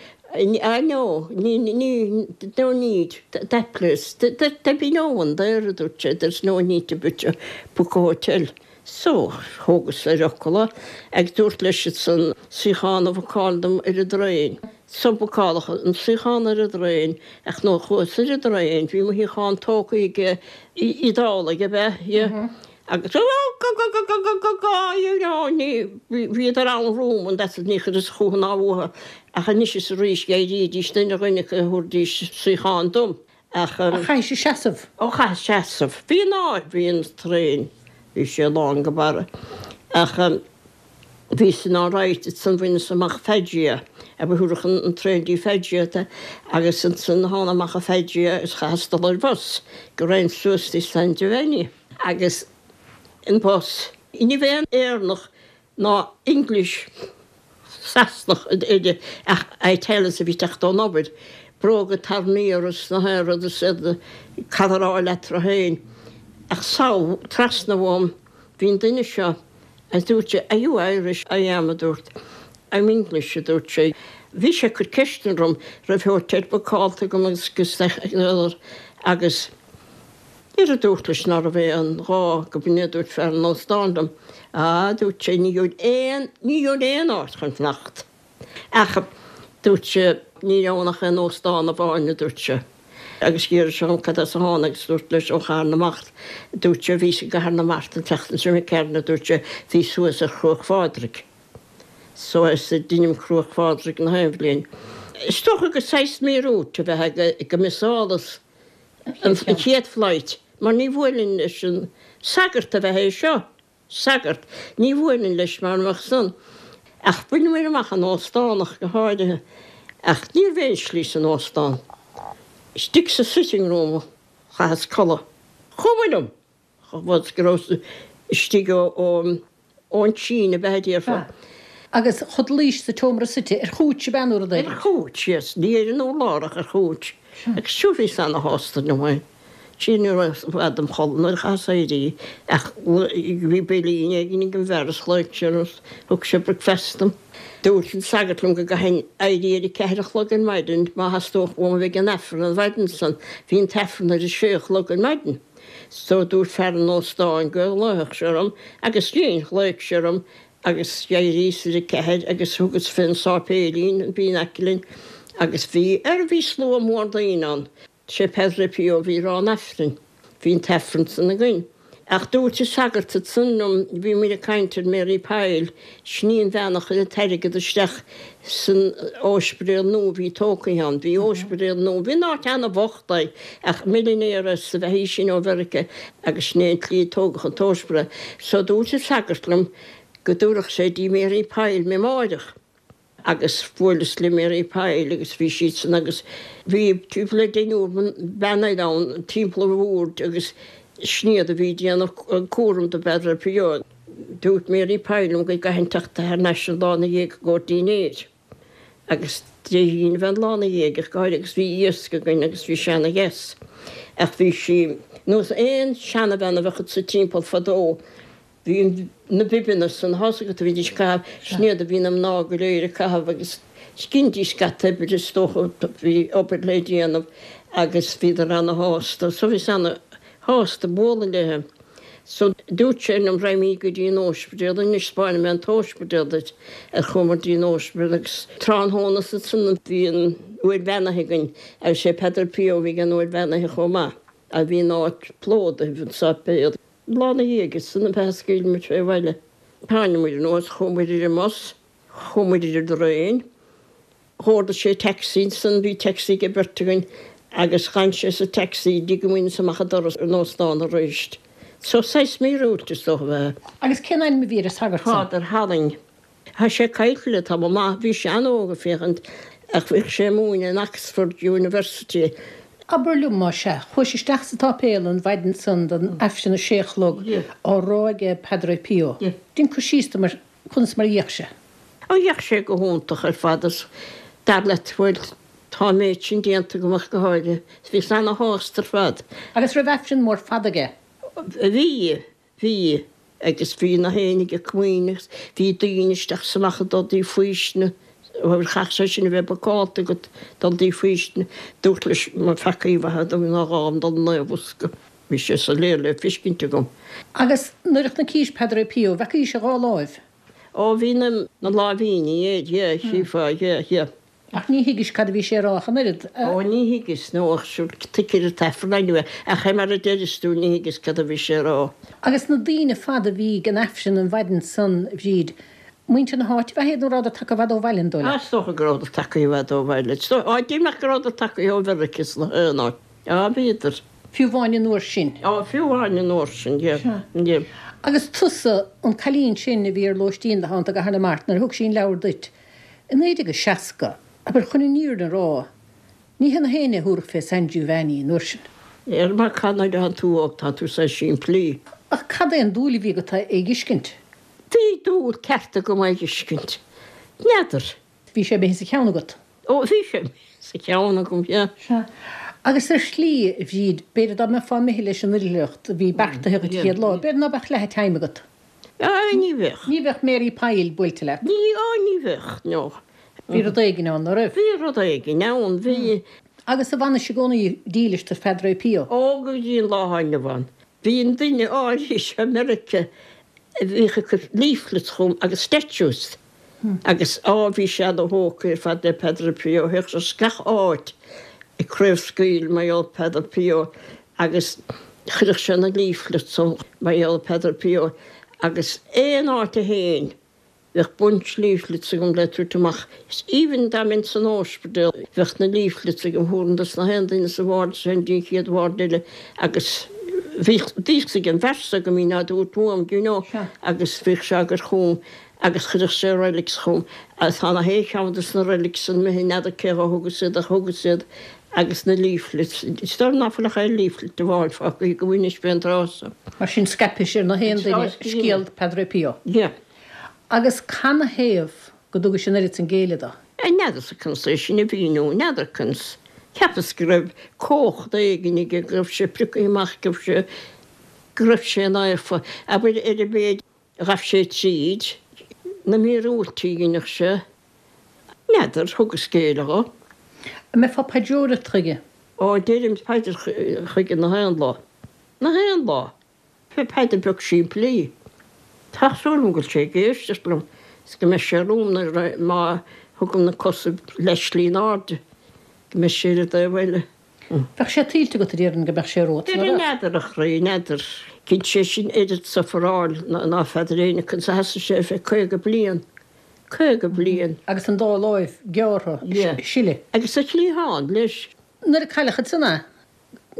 Ah no, ní, ní, no need, that place, there be no one there, a dúirt sé, there's no need to book a hotel. So, thógas ar fhocal é agus dúrt leis ansan suíochán a bhucáil dom ar an dtraein. So bucáladh an suíochán ar an dtraein ach nuair a chuas ar an dtraein bhí mo shuíochán tógtha ag Iodálaigh ab ea? Yeah. Agus go-go-go-go-go-go-go you know ní, bhíodar ann romham and that's it ní chuireas chúthu ná uathu ach anois is arís d'éirídís duine dhuine acu a thabharfaidís suíochán dom. Ach chaithis seasamh. Ó chaitheas seasamh. Bhí an áit, bhí an traein, bhí sé lán go barra. Ach bhí san alright ansan bhaineas amach Foggia, abair thabharfadh an traein dtí Foggia tú agus ansan thána amach i Foggia is chaitheas dul ar bhus go raghainn suas dtí San Giovanni. Agus an bus, ní raibh aon Éireannach ná English, Sasanach eile ach Italians a bhí ag teacht ón obair, bróga tarraingthe orthu is na haon rud is iad ag cadaráil eatarthu féin. Ach sall trasna uaim bhí an duine seo agus dúirt sé Are you Irish? I am a dúrt. I'm English a dúirt sé. Bhí sé ag cur ceisteanna orm raibh hotel bookáilte agam agus agus Nuair a dúrt leis ná raibh aon ghá go b'in é a dúirt fear an óstáin liom. Á, dúirt sé, ní gheobhainn aon, ní gheobhainn aon áit chun fanacht. Ach, dúirt sé, ní raibh ann ach aon óstán amháin, a dúirt sé. Agus d'fhiafraigh sé dhom cad as a thána agus dúrt leis ó Chathair na Mart. Dúirt sé, bhíos i gCathair na Mart an tseachtain seo imigh tharainn, a dúirt sé, bhíos thuas ar Chruach Phádraig. So is deinim Cruach Phádraig na haon bhliain. Is dócha gur saghas míorúilt a bheith ag go misálas. An chéad flight, mar ní bhuailfinn leis an sagart ab ea é seo, sagart, ní bhuailfinn leis mara mbeadh san. Ach bhaineamair amach an óstán ach go háirithe. Ach ní raibh aon slí san óstán. Istigh sa sitting room a chaitheas codladh. Chuma liom! Chomh fada is go rabhas istigh ón tSín, ab ea a déarfá. Agus chodlaís sa tseomra suite ar chúits, ab ea, nó rud éigin? Ar chúits, yes. Ní ar an urlár ach ar chúits. Agus sure bhíos ana-shásta liom é. Sea, ní raibh i bhfad dom chodladh nuair a chaitheas éirí ach bhí beilín éigin ag an bhfear is ghlaoigh sé orm is thug sé bricfeasta dom. Dúirt an sagart liom go gcaithfinn éirí ar a ceathair a chlog ar maidin má theastódh uaim a bheith ag an Aifreann an mhaidin san. Bhí an t-Aifreann ar a sé a chlog ar maidin. So dúirt fear an óstáin go nglaofadh sé orm agus dhein, ghlaoigh sé orm agus d'éiríos ar a ceathair agus thugas fén sáipéilín a bhí in aice linn agus bhí, ar bhí slua mór daoine ann. Sé Padre Pio a bhí ag rá an Aifrinn. Bhí an t-Aifreann san againn. Ach dúirt an sagart ansan liom, bhí muid ag caint ar Mary Pyle, sin í an bhean a chuir an t-airgead isteach san óispidéal nua a bhí tógtha ann. Bhí óispidéal nua, bhí an áit ana-bhocht é, ach millionairess ab ea í sin ó Mheiriceá agus sin é an tslí a tógadh an t-óispidéal. So dúirt an sagart liom go dtabharfadh sé dtí Mary Pyle mé amáireach. Agus bhuaileas le Mary Pyle agus bhí siadsan agus bhí timpeall le deichniúr bean eile ann timpeall an bhoird agus sin iad a bhí ag déanamh cúram do Pheadar Pio. Dúirt Mary Pyle liom go gcaithfinn teacht thar n-ais an lá ina dhiaidh i gcomhair dinnéir. Agus Dé hAoine ab ea an lá ina dhiaidh ach go háirithe agus bhí iasc againn agus bhí sé ana dheas. Ach bhí sí nós aon seanabhean a bheadh sa timpeall fadó Bhí na bibeanna san, tá's agat a bhídís ag caitheamh, sin iad a bhí na mná go léir ag caitheamh agus dheinidís scata oibre is dócha, bhí obair le déanamh agus bhíodar ana-shásta. So bhíos ana-shásta bualadh léithe. So dúirt sé liom raghaimíd go dtí an óispidéal anois, 'spáinfidh mé an t-óispidéal duit. Ar chuamar dtí an óispidéal agus tráthnóna ansan bhí an uair bheannaithe againn agus sé Peadar Pio a bhí ag an uair bheannaithe chomh maith. A bhí an áit plódaithe, an sáipéal. Lá ina dhiaidh san ab ea a scaoil muid fé bhaile. Tháinig muid anuas, chuaigh muid ar an mbus, chuaigh muid ar an dtraein. Dh'ordaigh sé taxi ansan, bhí taxi ag an bheirt againn agus dh'fhan sé sa taxi dtí go mbaineas amach an doras an óstán aríst. So saghas míorúilt is dócha ab ea. Agus cén ainm a bhí ar an sagart san? Father Halling. Tá sé caillte le tamall maith. Bhí sé an-óg ag féachaint ach bhíodh sé ag múineadh in Oxford University. Abair liom, más ea, chuais isteach sa tsáipéal an mhaidin san don Aifreann a sé a chlog á rá aige Padre Pio. Déan cur síos dom ar conas mar a d'fhéach sé. Ó d'fhéach sé go hiontach ar fad is dar leat bhuel tá an méid sin déanta agam ach go háirithe. Bhíos ana-shásta ar fad. Agus raibh Aifreann mór fada aige? Bhí. Bhí, agus bhí na héinne ag comaoin agus bhí daoine isteach is amach ag dul dtí faoistine, bhuel chaithfeadh sé sin a bheith bookáilte agat dul dtí faoistine. Dúrt leis mo pheacaí a mhaith dom ná dhá dul 'na bhosca. Bhí sé soiléir le feiscint agam. Agus nuair a chonacís Padre Pio, bhfeacaís a dhá láimh? Ó bhí na láimhíní air, yeah, chífeá, yeah, yeah. Ach ní thuigis cad a bhí sé a rá ach an oiread. Ó, ní thuigeas, nó ach sure, tuigtear an t-aifreann anyway, ach é mar a deireas tú, ní thuigeas cad a bhí sé a rá. Agus na daoine fada a bhí ag an aifreann an mhaidin san, a Bhríd, muintir na háite ab ea iad nó rabhadar tagtha i bhfad ó bhaile, an dóigh leat? Á, is dócha go rabhadar tagtha i bhfad ó bhaile. Is dócha, á, deimhneach go rabhadar tagtha ó Mheiriceá is na haon áit. Á, bhíodar. Fiú amháin an uair sin. Á, fiú amháin an uair sin, yeah, yeah. Agus tusa, an cailín sin a bhí ar lóistín le hAnt i gCathair na Mart nuair a thug sí an leabhar duit, I 1960, abair, chun an fhírinne a rá, ní hé na héinne a thabharfadh fé San Giovanni an uair sin. Ar mar cad nuair atánn tú óg tá tú saghas simplí. Ach cad é an dúil a bhí agat é a dh'fheiscint? Bhí dúil ceart agam é a dh'fheiscint. N'fheadar. Bhí sé imithe sa cheann agat? Ó, bhí sé imithe sa cheann agam, yeah. Sea. Agus ar shlí, a Bhríd, b'fhéidir dá mbeifeá imithe leis an oilithreacht a bhí beartaithe dhuit an chéad lá, b'fhéidir ná beadh leath an time agat. Á, ní bheadh. Ní bheadh Mary Pyle buailte leat. Ní, á, ní bheadh, no. Bhí rud éigin ann, ná raibh? Bhí rud éigin ann, bhí. Agus an bhfanais i gcónaí dílis do Phadre Pio? Ó, go dtí an lá atá inniu ann. Bhí an duine áirithe seo i Meiriceá a bhíodh ag cur leaflets chugam agus statues agus, á, bhí sé ana-thógtha ar fad le Padre Pio, théadh sé as gach áit ag craobhscaoileadh mar gheall ar Padre Pio agus chuireadh sé na leaflets ann mar gheall ar Padre Pio agus aon áit a théinn. Bheadh bunch leaflets agam le tabhairt amach. Is even dá mbeinn san óispidéal bheadh na leaflets agam, thabharfainn dos na haon duine sa bhord is théinn dtí an chéad bhord eile agus bhíodh fhios ag an bhfear s'agam í ná dúirt uaim, do you know, agus bhíodh sé á gcur chugam agus chuireadh sé relics chugam. Tá na haon cheann dos na relics san imithe, n'fheadar cé dhó thugas iad ach thugas iad agus na leaflets. Is dóigh liom ná fuil ach aon leaflet amháin fágtha agam anois fén dtráth so. Mar sin scaipis ar na haon duine scéal Padre Pio. Yeah. Agus canathaobh go dtugais an oiread san géilleadh do? N'fheadarsa conas é sin a mhíniú, n'fheadar conas. Cheapas go raibh cumhacht éigin aige, go raibh sé priocaithe amach, go raibh sé, go raibh sé naofa. Abair ar an mhéid a ghabh sé tríd, na míorúiltí a dheineadh sé, n'fheadar, thugas géilleadh dho. An mbeifeá ag paidreoireacht chuige? Ó, deirim paidir chuige na haon lá. Na haon lá! Paidir beag simplí. Tá súil agam go bhfuil sé ag éisteacht liom is go mbeidh sé romham nuair má thugaim na cosa leath-slí in airde, go mbeidh sé ar an dtaobh eile. Bheadh sé tuillte agat, a déarfainn, go mbeadh sé romhat, nach mbeadh? N'fheadar, a chroí, n'fheadar. Dhein sé sin oiread suferáil ná feadar éinne conas a sheasaigh sé ar feadh 50 bliain. 50 bliain. Agus an dá láimh gearrtha, sileadh. Agus a chliathán leis. Nuair a cailleadh ansan é,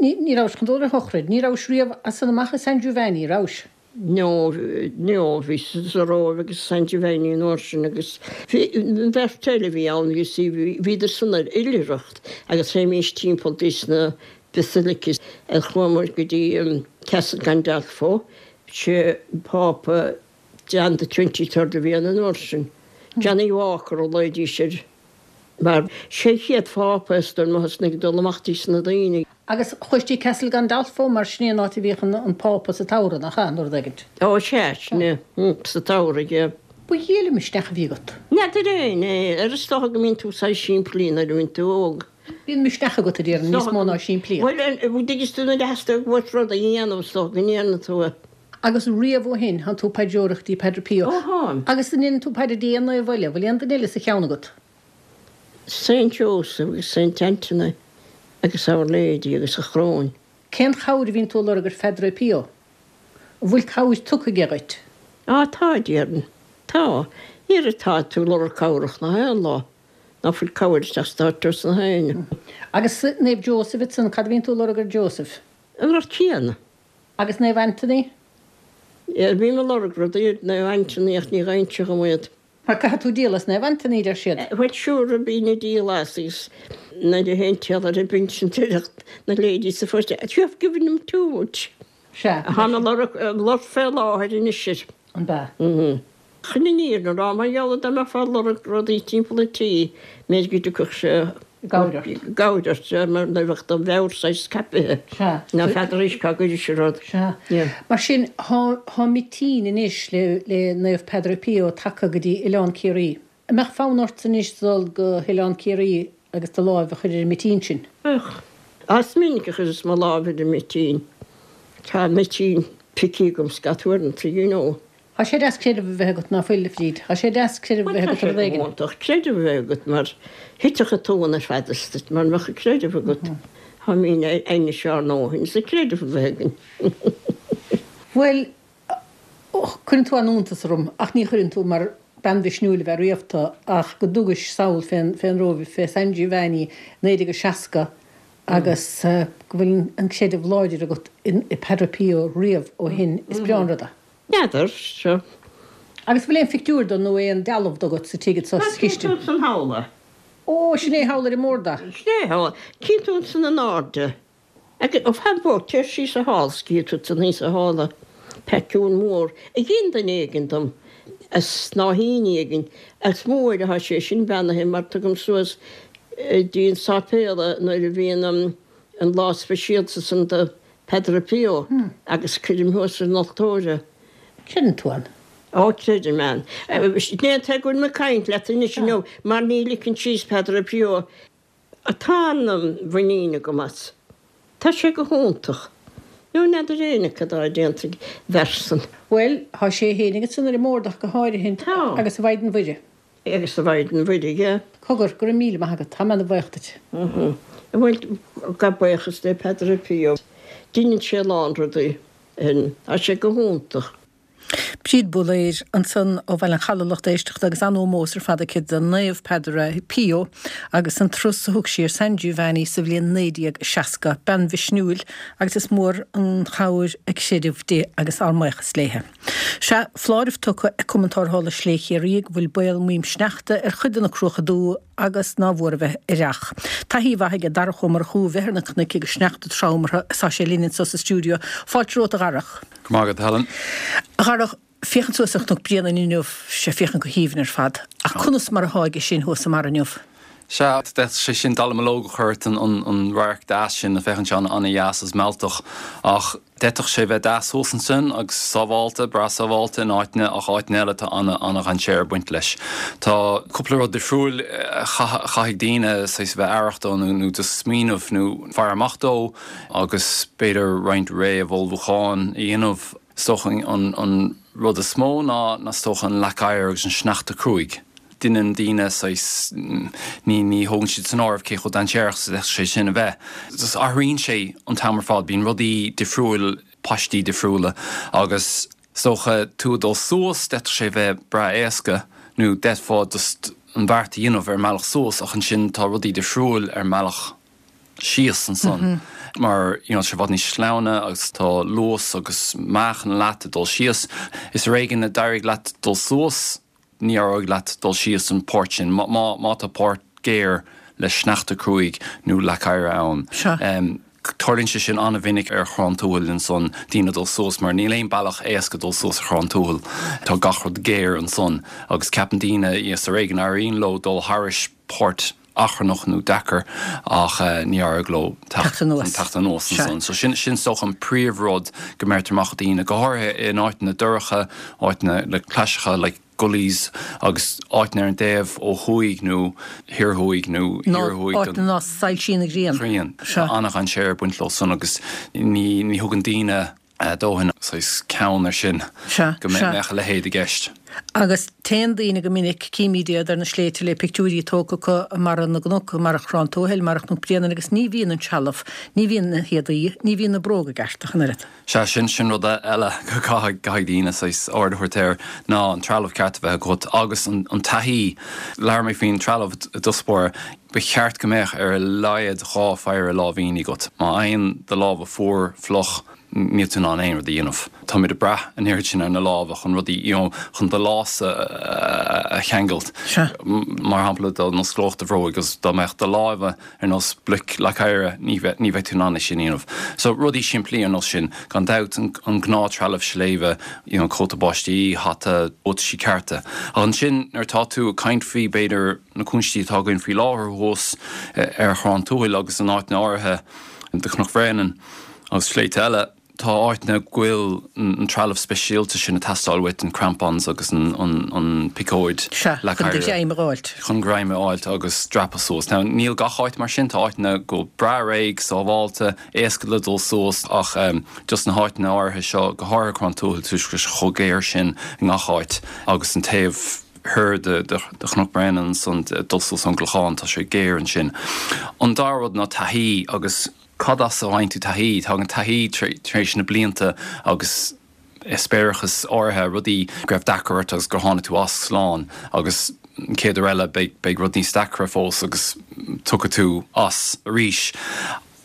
Ní rabhais chun dul ar shochraid. Ní rabhais riamh as san amach i San Giovanni, rabhais? No, no, bhíos sa Róimh agus i San Giovanni an uair sin agus bhí an bheirt eile a bhí ann, you see, bhíodar san ar oilithreacht agus théimís timpeall dtí na basilicas. Chuamar go dtí Castel Gandolfo, sé Pápa John the Twenty-Third a bhí ann an uair sin. Johnny Walker a ghlaoidís air. Mar sé an chéad Phápa is dóigh liom a thosnaigh ag dul amach dtí na daoine. Agus chuais dtí Castel Gandolfo mar sin é an áit a bhíodh an Pápa sa tsamhradh, nach ea, nó rud éigint? Ó sea, sin é, sa tsamhradh, yeah. Ba dhiail an misneach a bhí agat. N'fheadar fhéin é, ar is dócha go mbíonn tú saghas simplí nuair a bhíonn tú óg. Bíonn misneach agat, a déarfainn, níos mó ná simplíocht. Bhuel, an dtuigeann tú nuair a theastaíonn uait rud a dhéanamh is dócha go ndéanann tú é. Agus riamh ó shin, thánn tú ag paidreoireacht dtí Padre Pio. Ó, tháim. Agus an ndéanann tú paidir dtí aon naomh eile? Bhfuil aon duine eile sa cheann agat? Saint Joseph agus Saint Anthony agus Our Lady agus a Choróin. Cén chabhair a bhíonn tú ag lorg ar Phadre Pio? An bhfuil cabhair tugtha aige dhuit? Á, tá, a déarfainn. Tá. Dhera, tá tú ag lorg cabhrach na haon lá. Ná fuil cabhair ag teastáilt os na héinne. Agus Naomh Joseph ansan, cad a bhíonn tú ag lorg ar Joseph? An rud céanna. Agus Naomh Anthony? Bím ag lorg rudaí ar Naomh Anthony ach ní gheibheann sé dhom iad. Mar caithfidh tú díol as Naomh Anthony, deir siad. Bhuel sure, bím ag díol as agus nuair a théann tú ar an bpinsean deir na ladies sa phost you have given him too much. Sea. Táim ag lorg lorg fé láthair anois air. An bea? Mhm. Chun an fhírinne a rá, mar gheall ar dá mbeifeá ag lorg rudaí timpeall an tí, b'fhéidir go dtiocfadh sé i gcabhair ort. I gcabhair ort, sea, mar nuair a bheadh do mheabhair saghas scaipthe. Sea. Ná feadar arís cá gcuiris an rud. Sea. Yeah. Mar sin, thá, thá mitín anois le, le Naomh Peadar Pio tagtha go dtí Oileán Ciarraí. An mbeadh fonn ort anois dul go hOileán Ciarraí agus do láimh a chur ar an mitín sin? Bheadh. Is minic a chuireas mo láimh ar an mitín. Tá mitín feicthe agam scata uaireanta, you know. Tá sé deas creideamh a bheith agat, ná fuil, a Bhríd? Tá sé deas creideamh a bheith agat ar rud éigin. Bhuel, tá sé go hiontach creideamh a bheith agat mar thitfeadh an tóin ar fad as duit mura mbeadh an creideamh agat. Táimid anois ár ndóthain sa creideamh a bheith againn. Bhuel, cuireann tú an-iontas orm, ach ní chuireann tú mar bean mhisniúil ab ea riamh tú, ach go dtugais sall fén Róimh, fé San Giovanni, 1960 agus go bhfuil an creideamh láidir agat i Padre Pio riamh ó shin, is breá an rud é. N'fheadar, seo. Agus bhfuil aon phictiúr de nó aon dealbh de agat sa tigh anso sa chistin? Tá, cíonn tú ansan thall é. Ó, sin é thall ar an mbord é. Sin é thall. Cíonn tú ansan in airde. Agus, ó, fan bog, téir síos thall 's cífidh tú ansan thíos thall é. Pictiúr mór a dhein duine éigin dom, as snáithíní éigin. Is mór atá sé sin beannaithe mar tugaim suas dtí an sáipéal é nuair a bhíonn an lá speisialta san do Padre Pio agus cuirim thuas ar an altóir é. Creideann tú ann? Ó, creidim ann. Ní an t-é go bhfuil mé ag caint leat anois inniu mar ní ligfinn síos Padre Pio. Tá an-mhuinín agam as. Tá sé go hiontach. Nó n'fheadar éinne cad tá déanta ag an bhfear san. Bhuel, tá sé fhéinig ansan ar an mbord ach go háirithe, Tá. agus a Mhaighdean Mhuire. Agus a Mhaighdean Mhuire, yeah. Cogar, go raibh míle maith agat, tá mé ana bhaoch duit. Bhuel, gabh buíochas le Padre Pio. Deineann sé a lán rudaí. Tá sé go hiontach. Bríd Búlaeir ansan ó Bhaile an Chalaidh lucht éisteachta agus an-ómós ar fad aici do Naomh Peadar Pio agus an turas a thug sí ar San Giovanni sa bhliain 1960. Bean mhisniúil agus is mór an chabhair a creideamh di agus ár mbuíochas léithe. Sea, foláireamh tugtha ag Cumann Tarrthála Sléibhe Chiarraí go bhfuil baol maidhm sneachta ar chuid de na Cruacha Dubha agus ná mhór a bheith aireach. Taithí mhaith aige Darach Ó Murchú a bheith ar na cnoic agus sneachta trom orthu is tá sé linn anso sa stiúideo. Fáilte romhat a Dharach. Go raibh maith agat, Helen. A Dharach, féachaint suas ar Chnoc Bréanainn inniu, sé féachaint go haoibhinn ar fad. Ach conas mar athá aige sin thuas i mbarra inniu? Sea, d'fhéadfadh sé sin dallamullóg a chur ort, an radharc deas sin, féachann sé an-dheas agus mealltach. Ach d'fhéadfadh sé bheith deas thuas ansin agus sábhálta, breá sábhálta in áiteanna ach áiteanna eile tá an-dhainséar ag baint leis. Tá cúpla rud difriúil a chaithfidh daoine saghas a bheith aireach dó nó just smaoineamh nó faire amach dó. agus b'fhéidir roinnt réamh-ullmhúcháin a dhéanamh. Is dócha an rud is mó ná is dócha an leac oighir agus an sneachta cruaidh. Deineann daoine saghas, ní ní thógann siad san áireamh cé chomh dainséarach is a d'fhéadfadh sé sin a bheith. Just athraíonn sé an t-am ar fad, bíonn rudaí difriúil, paistí difriúla agus is dócha tú ag dul suas d'fhéadfadh sé bheith breá éasca nó d'fhéadfá just an bheart a dhéanamh ar an mbealach suas ach ansin tá rudaí difriúil ar an mbealach síos ansan mar you know tá sé i bhfad níos sleamhna agus tá luas agus meáchan leat ag dul síos. Is ar éigean a d'éirigh leat dul suas, ní éireoidh leat dul síos an páirt sin má má tá páirt géar le sneachta cruaidh nó leac oighir ann. Sea. Tarlaíonn sé sin an-mhinic ar Chrann Tuathail ansan, daoine ag dul suas mar níl aon bealach éasca dul suas ar Chrann Tuathail. Tá gach rud géar ansan agus ceapann daoine is ar éigean a éiríonn leo dul thairis páirt achrannach nó deacair ach ní éireoidh leo teacht anuas. teacht anuas ansan. So sin sin is dócha an príomhrud go mbeirtear amach do dhaoine, go háirithe in áiteanna dorcha, áiteanna le claiseacha like gullies agus áiteanna ar an dtaobh ó thuaidh nó thiar thuaidh nó thiar thuaidh den áiteanna ná soilsíonn an ghrian. ghrian. Tá an-dhainséar ag baint leo san agus ní ní thugann daoine dóthain saghas ceann air sin go mbeadh a leithéid i gceist. Agus téann daoine go minic, címid iad ar na sléibhte le pictiúirí tógtha acu i mbarra na gcnoc, i mbarra Chrann Tuathail, i mbarra Chnoc Bréanainn agus ní bhíonn an trealamh, ní bhíonn na héadaí, ní bhíonn na bróga i gceart ach an oiread. Sea, sin, sin rud eile go gcaithfidh, gcaithfidh daoine saghas aird a thabhairt air ná an trealamh ceart a bheith agat agus an, an taithí. Labhair mé faoin trealamh i dtús báire. Ba cheart go mbeadh ar a laghad 2 phéire láimhíní agat. Má fhaigheann do lámha fuar, fliuch, níl tú in ann aon rud a dhéanamh. Táimid ag brath an oiread sin ar na lámha chun rudaí, you know, chun do lása a cheangailt. Mar shampla, dá n-osclódh do bhróig agus dá mbeadh do lámha ar nós bloic leac oighre, ní bheadh, ní bheadh tú in ann é sin a dhéanamh. So, rudaí simplí ar nós sin. Gan dabht, an gnáth-trealamh sléibhe, you know, cóta báistí, hata, buataisí cearta. Ach ansin, nuair atá tú ag caint faoi, b'fhéidir, na cúinsí atá againn faoi láthair thuas ar Chrann Tuathail agus in áiteanna áirithe de Chnoc Bhréanainn agus sléibhte eile, tá áiteanna go bhfuil an trealamh speisialta sin ag teastáil uait, an crampons agus an piocóid Sea, chun do ghreim a fháilt. Chun greim a fháilt agus dreapadh suas. Now, níl gach áit mar sin, tá áiteanna go bhfuil breá réidh, sábháilte, éasca le dul suas ach just na háiteanna áirithe seo, go háirithe Crann Tuathail, toisc go bhfuil sé chomh géar sin i ngach áit agus an taobh thoir de Chnoc Bréanainn ansan, dul suas ón gClochán, tá sé géar ansin. An dara rud ná taithí agus cad as a bhfaigheann tú taithí? Tagann taithí tar éis na blianta agus eispéireachas áirithe, rudaí go raibh deacair ort agus gur tháinig tú as slán agus an chéad uair eile beidh rud níos deacra fós agus tiocfaidh tú as arís.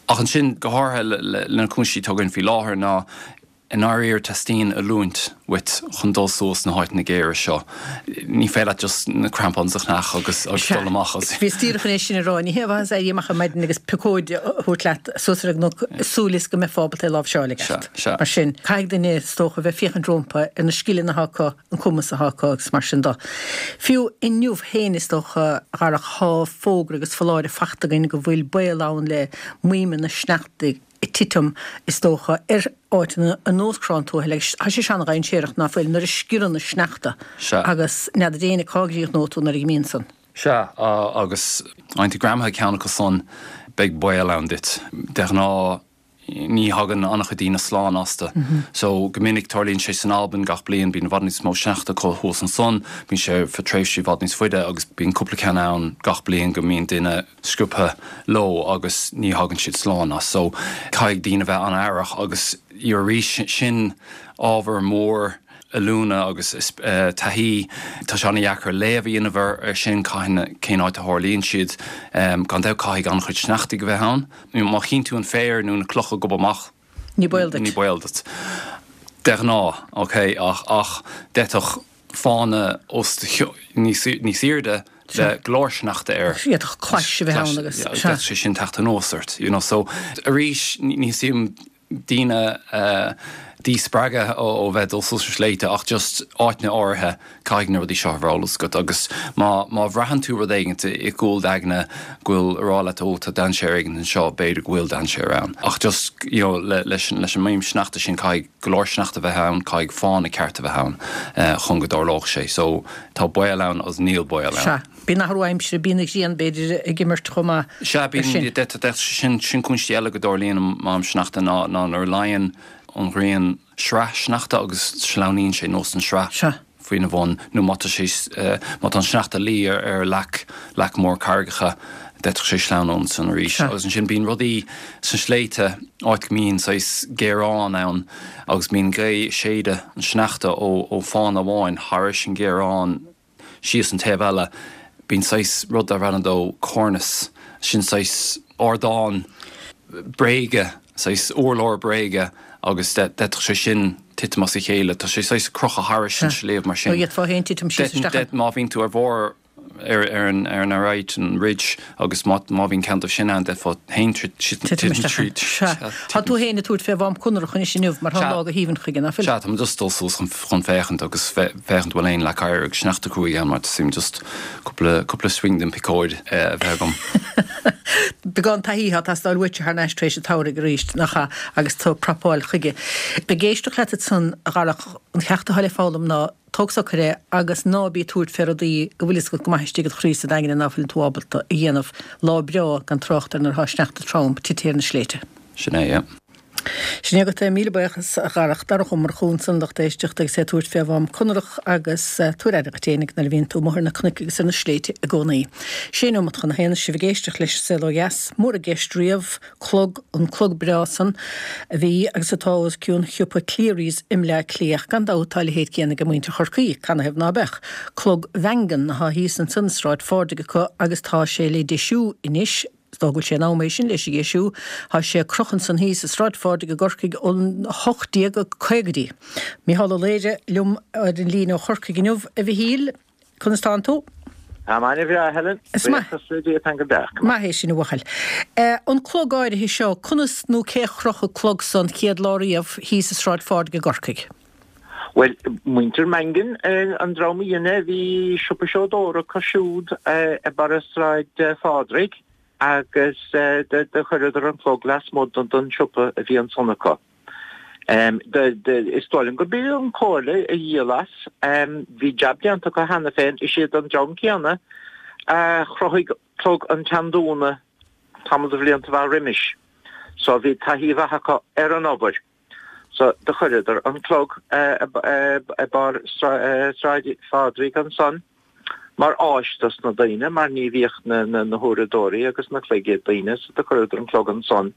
Ach ansin, go háirithe le na cúinsí atá againn faoi láthair ná, I ndáiríre teastaíonn oiliúint uait chun dul suas na háiteanna géara seo. Ní féidir leat just na crampons a cheannach agus dul amach as. Bhíos díreach chun é sin a rá. Ní haon mhaitheas éirí amach ar maidin agus piocóid a thabhairt leat suas ar an gcnoc súil is go mbeifeá ábalta é a láimhseáil i gceart. Sea, sea. Mar sin, caithfidh duine, is dócha, a bheith féachaint rompu ar na scileanna atá acu, an cumas atá acu agus mar sin de. Fiú inniu féin, is dócha, a Dharach, tá fógra agus foláireamh fachta againn go bhfuil baol ann le maidhmeanna sneachta ag titim, is dócha, ar áiteanna ar nós Crann Tuathail agus tá sé an-dhainséarach, ná fuil, nuair a sciorrann an sneachta Sea. agus n'fheadar éinne cá gcríochnóidh tú nuair a imíonn san. Sea, agus faigheann tú greamaithe ceann acu san, beidh baol ann duit. De ghnáth ní thagann an-chuid daoine slán astu. So, go minic tarlaíonn sé san Albain gach bliain, bíonn i bhfad níos mó sneachta acu thuas ansan, bíonn sé feadh tréimhsí i bhfad níos faide agus bíonn cúpla ceann ann gach bliain go mbíonn duine sciobtha leo agus ní thagann siad slán as. So, caithfidh daoine bheith an-aireach agus arís, sin ábhar mór. oiliúna agus taithí, tá sé an-dheacair léamh a dhéanamh ar sin, cathain, cén áit a tharlaíonn siad. Gan dabht caithfidh an-chuid sneachtaidh a bheith ann. Má chíonn tú an féar nó na clocha ag gobadh amach, Ní baol duit. Ní baol duit. De ghnáth, ok, ach, ach d'fhéadfadh fána os do chionn, níos, níos airde le go leor sneachta air. D'fhéadfadh clais a bheith ann agus, sea. D'fhéadfadh sé sin teacht anuas ort, you know, so arís, ní theastaíonn daoine a dhíspreagadh ó bheith ag dul suas ar sléibhte ach just áiteanna áirithe caithfidh na rudaí seo a bheith ar eolas agat agus má má bhraitheann tú rud éigint i gcúl d'aigne go bhfuil ag rá leat ó tá dainséar éigint anseo b'fhéidir go bhfuil dainséar ann ach just you know le leis an leis an maidhm sneachta sin caithfidh go leor sneachta a bheith ann caithfidh fána ceart a bheith ann chun go dtarlódh sé so tá baol ann agus níl baol ann. Sea. Bíonn athrú aimsire, bíonn an ghrian b'fhéidir ag imirt chomh maith Sea, ar sin. bíonn, sin, sin cúinsí eile go dtarlaíonn an maidhm sneachta ná, ná nuair a luíonn an ghrian sraith sneachta agus sleamhnaíonn sé anuas an sraith Sea. faoina bhun nó má tá sé, má tá an sneachta ag luí ar, ar leac, leac mór carraigeacha, d'fhéadfadh sé sleamhnú ansan arís. Sea. Agus ansin bíonn rudaí sna sléibhte, áit go mbíonn saghas géarán ann agus bíonn gaoth ag séideadh an sneachta ó, ó fána amháin thairis an ghéarán Síos an taobh eile, bíonn saghas rud darb ainm dó cornice, sin saghas ardán bréige, saghas urlár bréige agus d'fhéadfadh sé sin titim as a chéile. Tá sé saghas ag crochadh thairis an sliabh mar sin. Nó d'fhéadfá féin titim síos isteach ann. Má bhíonn tú ar bharr ar an ar an arête, an ridge, agus má má bhíonn ceann díobh sin ann, d'fhéadfá féin titim isteach ann. Sea. Tá tú féin ag tabhairt fé Mhám Conrach anois inniu mar tá an lá go haoibhinn chuige, ná fuil? Sea, tá mé just ag dul suas chun féachaint agus féachaint bhfuil aon leac oighir agus sneachta cruaidh ann mar teastaíonn just cúpla, cúpla swing den picóid a bheith agam. Beagán taithí atá ag teastáil uait thar n-ais tar éis an tsamhraidh arís, nach ea, agus tú ag prapáil chuige. Ag éisteacht leat ansan, a Dharach, an ceacht atá le foghlaim ná tóg socair é agus ná bí ag tabhairt fé rudaí go bhfuil fhios agat go maith istigh id chroí is i d'aingne ná fuileann tú ábalta a dhéanamh. Lá breá, gan trácht ar nuair atá sneachta trom tite ar na sléibhte. Sin é, yeah. Sin é agat é. Míle buíochas, a Dharach. Darach Ó Murchú ansan, lucht éisteachta, agus é ag tabhairt fé Mhám Conrach agus tabhair aire duit fhéinig nuair a bhíonn tú amuigh ar na cnoic agus ar na sléibhte i gcónaí. Sé neomat chun a haon, sibh ag éisteacht leis an Saol Ó Dheas. Mór i gceist riamh, clog, an clog breá san a bhí agus atá os cionn shiopa Cleary's i mBleá Cliath. Gan dabht tá a leithéid céanna ag muintir Chorcaí, canathaobh ná beadh? Clog Mhangan atá thíos ansan i Sráid Phádraig acu agus tá sé le deisiú anois, Is dóigh go bhfuil sé in am é sin leis a dheisiú. Tá sé ag crochadh ansan thíos i Sráid Phádraig i gCorcaigh ón 1850idí. Micheál Ó Laoire liom ar an líne ó Chorcaigh inniu. A Mhichíl, conas tánn tú? Táim an-bhreá, a Helen. Is maith. Buíochas le Dia, táim go breá. Maith é sin, a bhuachaill. An clog áirithe seo, conas nó cé a chroch an clog san chéad lá riamh thíos i Sráid Phádraig i gCorcaigh? Bhuel, muintir Mangan, an dream a dhein é, bhí siopa seodóra acu siúd i mbarra Sráid Phádraig agus do chuireadar an clog lasmuigh den siopa a bhí ansan acu. Is dóigh liom gurb í an Comhairle a dhíol as. Bhí jab déanta acu cheana féin. Is iad an dream céanna a chruthaigh clog an tSeandúna tamall de bhlianta mhaith roimis. So bhí taithí mhaith acu ar an obair. So do chuireadar an clog i barr Sráid Phádraig ansan mar áis dos na daoine mar ní bhíodh na huaireadóirí agus na cloig ag daoine so do chuireadar an clog ansan.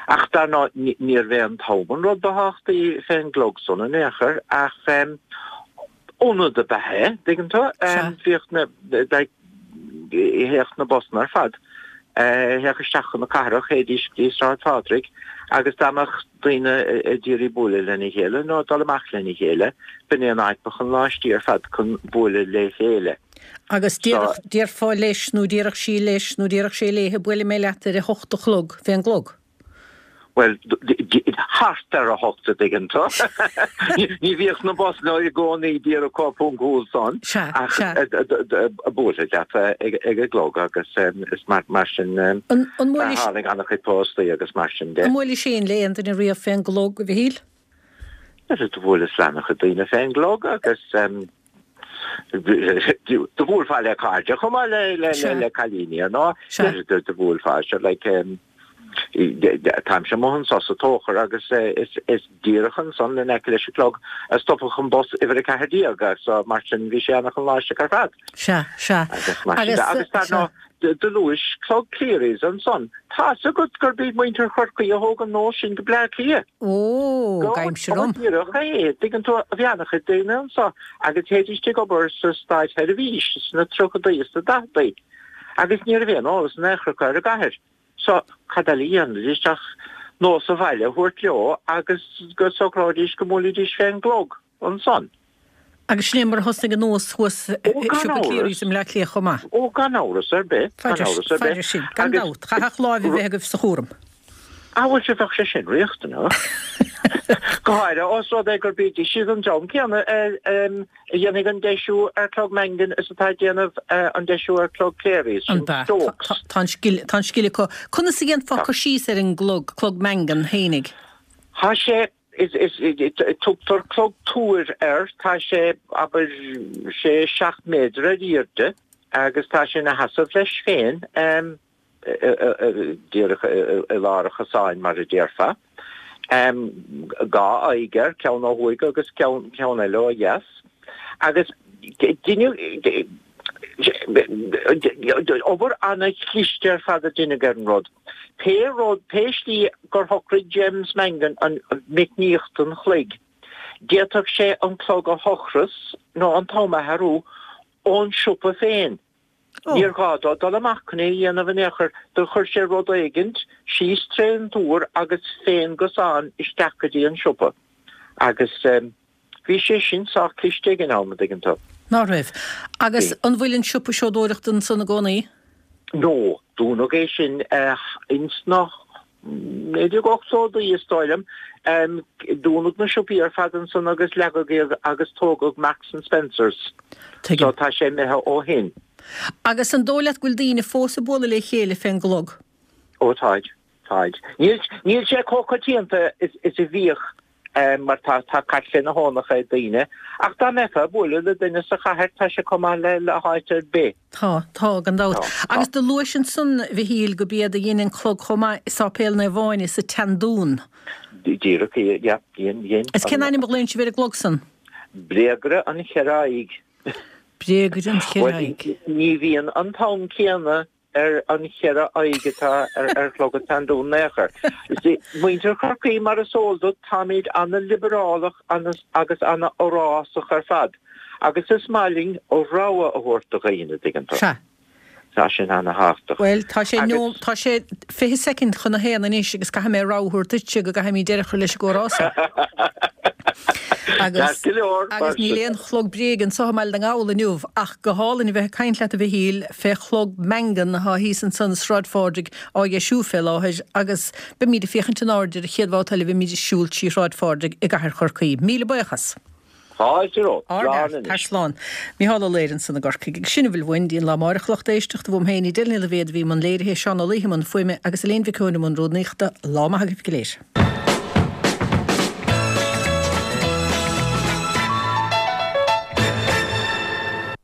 Ach dar ndóigh níorbh é an t-am an rud ba thábhachtaí fén gclog san in aon chor ach ionad ab ea é, dtuigeann tú? Bhíodh na, like, théadh na busanna ar fad, théadh isteach chun na cathrach, théidís go dtí Sráid Phádraig agus dá mbeadh daoine ag iarraidh bualadh lena chéile nó dul amach lena chéile, b'in é an áit ba chonláistí ar fad chun bualadh le chéile. Agus déarfá leis nó déarfadh sí leis nó déarfadh sé léithe, buailfidh mé leat ar a hocht a chlog fén gclog. Bhuel, thart ar a hocht, a dtuigeann tú. Ní bhíodh na busanna i gcónaí díreach chomh poncúil san, ach buailfead leat ag an gclog agus is mar sin a tháinig an-chuid póstaí agus mar sin de. An mbuailis féin le aon duine riamh fén gclog, a Mhichíl? Do bhuaileas le an-chuid daoine fén gclog agus do bhuailfeá le cairde chomh maith le cailíní, ar ndóigh. Do bhuailfeá, sure, like. Táimse amuigh anso sa Tóchar agus is díreach ansan in aice leis an gclog a stopfadh an bus uimhir 14 so mar sin bhí sé ana-choláisteach ar fad. Sea, sea. Agus mar sin de. Agus dar ndóigh, do luais clog Cleary's ansan. Tá's agat gurb iad muintir Chorcaí a thóg an nós sin go Bleá Cliath. Ó, gabhaimse romham. Go díreach é, dtuigeann tú, bhí ana-chuid daoine anso agus théidís ag obair sa stáitsheirbhís sna tríochadaí is sna daicheadaí agus ní raibh aon eolas in aon chor acu ar an gcathair. So, cad eile a dhéanfaidís ach nós an bhaile a thabhairt leo agus go socróidís go mbuailfidís fén gclog ansan. Agus sin é mar a thosnaigh an nós thuas i siopa Cleary's i mBleá Cliath chomh maith. Ó, gan amhras ar bith, gan amhras ar bith. Fairis sin, gan dabht, chaithfeadh láimh a bheith agaibh sa chúram. Ah, bhuel, sea, bheadh sé sin riachtanach. Go háirithe ós rud é gurb iad siad an dream céanna a dhéanfaidh an deisiú ar Chlog Mangan is atá ag déanamh an deisiú ar Chlog Cleary's, sin Stokes. Tá an scil, tá an scil acu. Conas a dhéanfá cur síos ar an gclog, Clog Mangan fhéinig? Tá sé, is, is, tugtar clog túir air, tá sé, abair, sé, seacht méadar ar airde agus tá sé ina sheasamh leis féin. díreach i lár an chosáin, mar a déarfá. Dhá aghaidh air, ceann ó thuaidh agus ceann eile ó dheas. Agus deineadh obair ana-chliste ar fad a deineadh ar an rud. Pé rud, pé slí gur shocraigh James Mangan an meicníocht an chloig, d'fhéadfadh sé an clog a thochras nó an t-am a athrú ón siopa féin. Níor ghá dó dul amach chun é a dhéanamh in aon chor, do chuir sé rud éigint síos trén túr agus fén gcosán isteach go dtí an siopa. Agus bhí sé sin sách cliste ag an am, an dtuigeann tú. Ná raibh. Agus an bhfuil an siopa seodóireachta ansan i gcónaí? No, dúnadh é sin ins na 1980idí, is dóigh liom. Dúnadh na siopaí ar fad ansan agus leagadh iad agus tógadh Marks and Spencers. Tuigim. So tá sé imithe ó shin. Agus an dóigh leat go bhfuil daoine fós ag bualadh le chéile fén gclog? Ó táid, táid. Níl, níl sé chomh coitianta is, is a bhíodh mar tá, tá cat fé na hónacha ag daoine. Ach dá mbeifeá ag bualadh le duine sa chathair tá sé chomh maith le, le háit ar bith. Tá, tá, gan dabht. Tá, tá. Agus do luais ansan, a Mhichíl, go b'iad a dhein an clog chomh maith i Sáipéal Naomh Áine sa tSeandún. Díreach, yeah, dhein, dhein. Is cén ainm a ghlaonn sibh ar an gclog san? Bréagaire an Cheithre Aghaidh. Bréagaire an Cheithre Aghaidh. Bhuel, ní bhíonn an t-am céanna ar an cheithre aghaidh atá ar chlog an tSeandúin in aon chor. Muintir Chorcaí, mar is eol duit, táimid ana-liobrálach agus ana-fhorásach ar fad agus is maith linn rogha a thabhairt do dhaoine, dtuigeann tú. Sea. Tá sin ana-thábhachtach. Bhuel, tá sé nó, tá sé 20 soicind chun a haon anois agus caithfidh mé rogha a thabhairt duitse go gcaithfimid deireadh a chur leis an gcomhrá seo. Agus, Ceart go leor, agus níl aon chlog bréige anso i mBaile na nGall inniu ach go hálainn a bheith ag caint leat a Mhichíl fé chlog Mangan athá thíos ansan i Sráid Phádraig á dheisiú fé láthair agus beimíd ag féachaint in airde ar an chéad bhabhta eile a bheimíd ag siúl trí Shráid Phádraig i gcathair Chorcaí. Míle buíochas! Fáilte romhat. Ár Slán bhfear, anois. tar slán. Micheál Ó Laoire ansan i gCorcaigh. Agus sin a bhfuil uainn go dtí an lá amáireach a lucht éisteachta. Uaim féin, Edel Ní Loibhéad a bhí i mbun léirithe, Seán Ó Laoithe i mbun fuaime agus Elaine Mhic Eoin i mbun rúnaíochta. Lá maith agaibh go léir.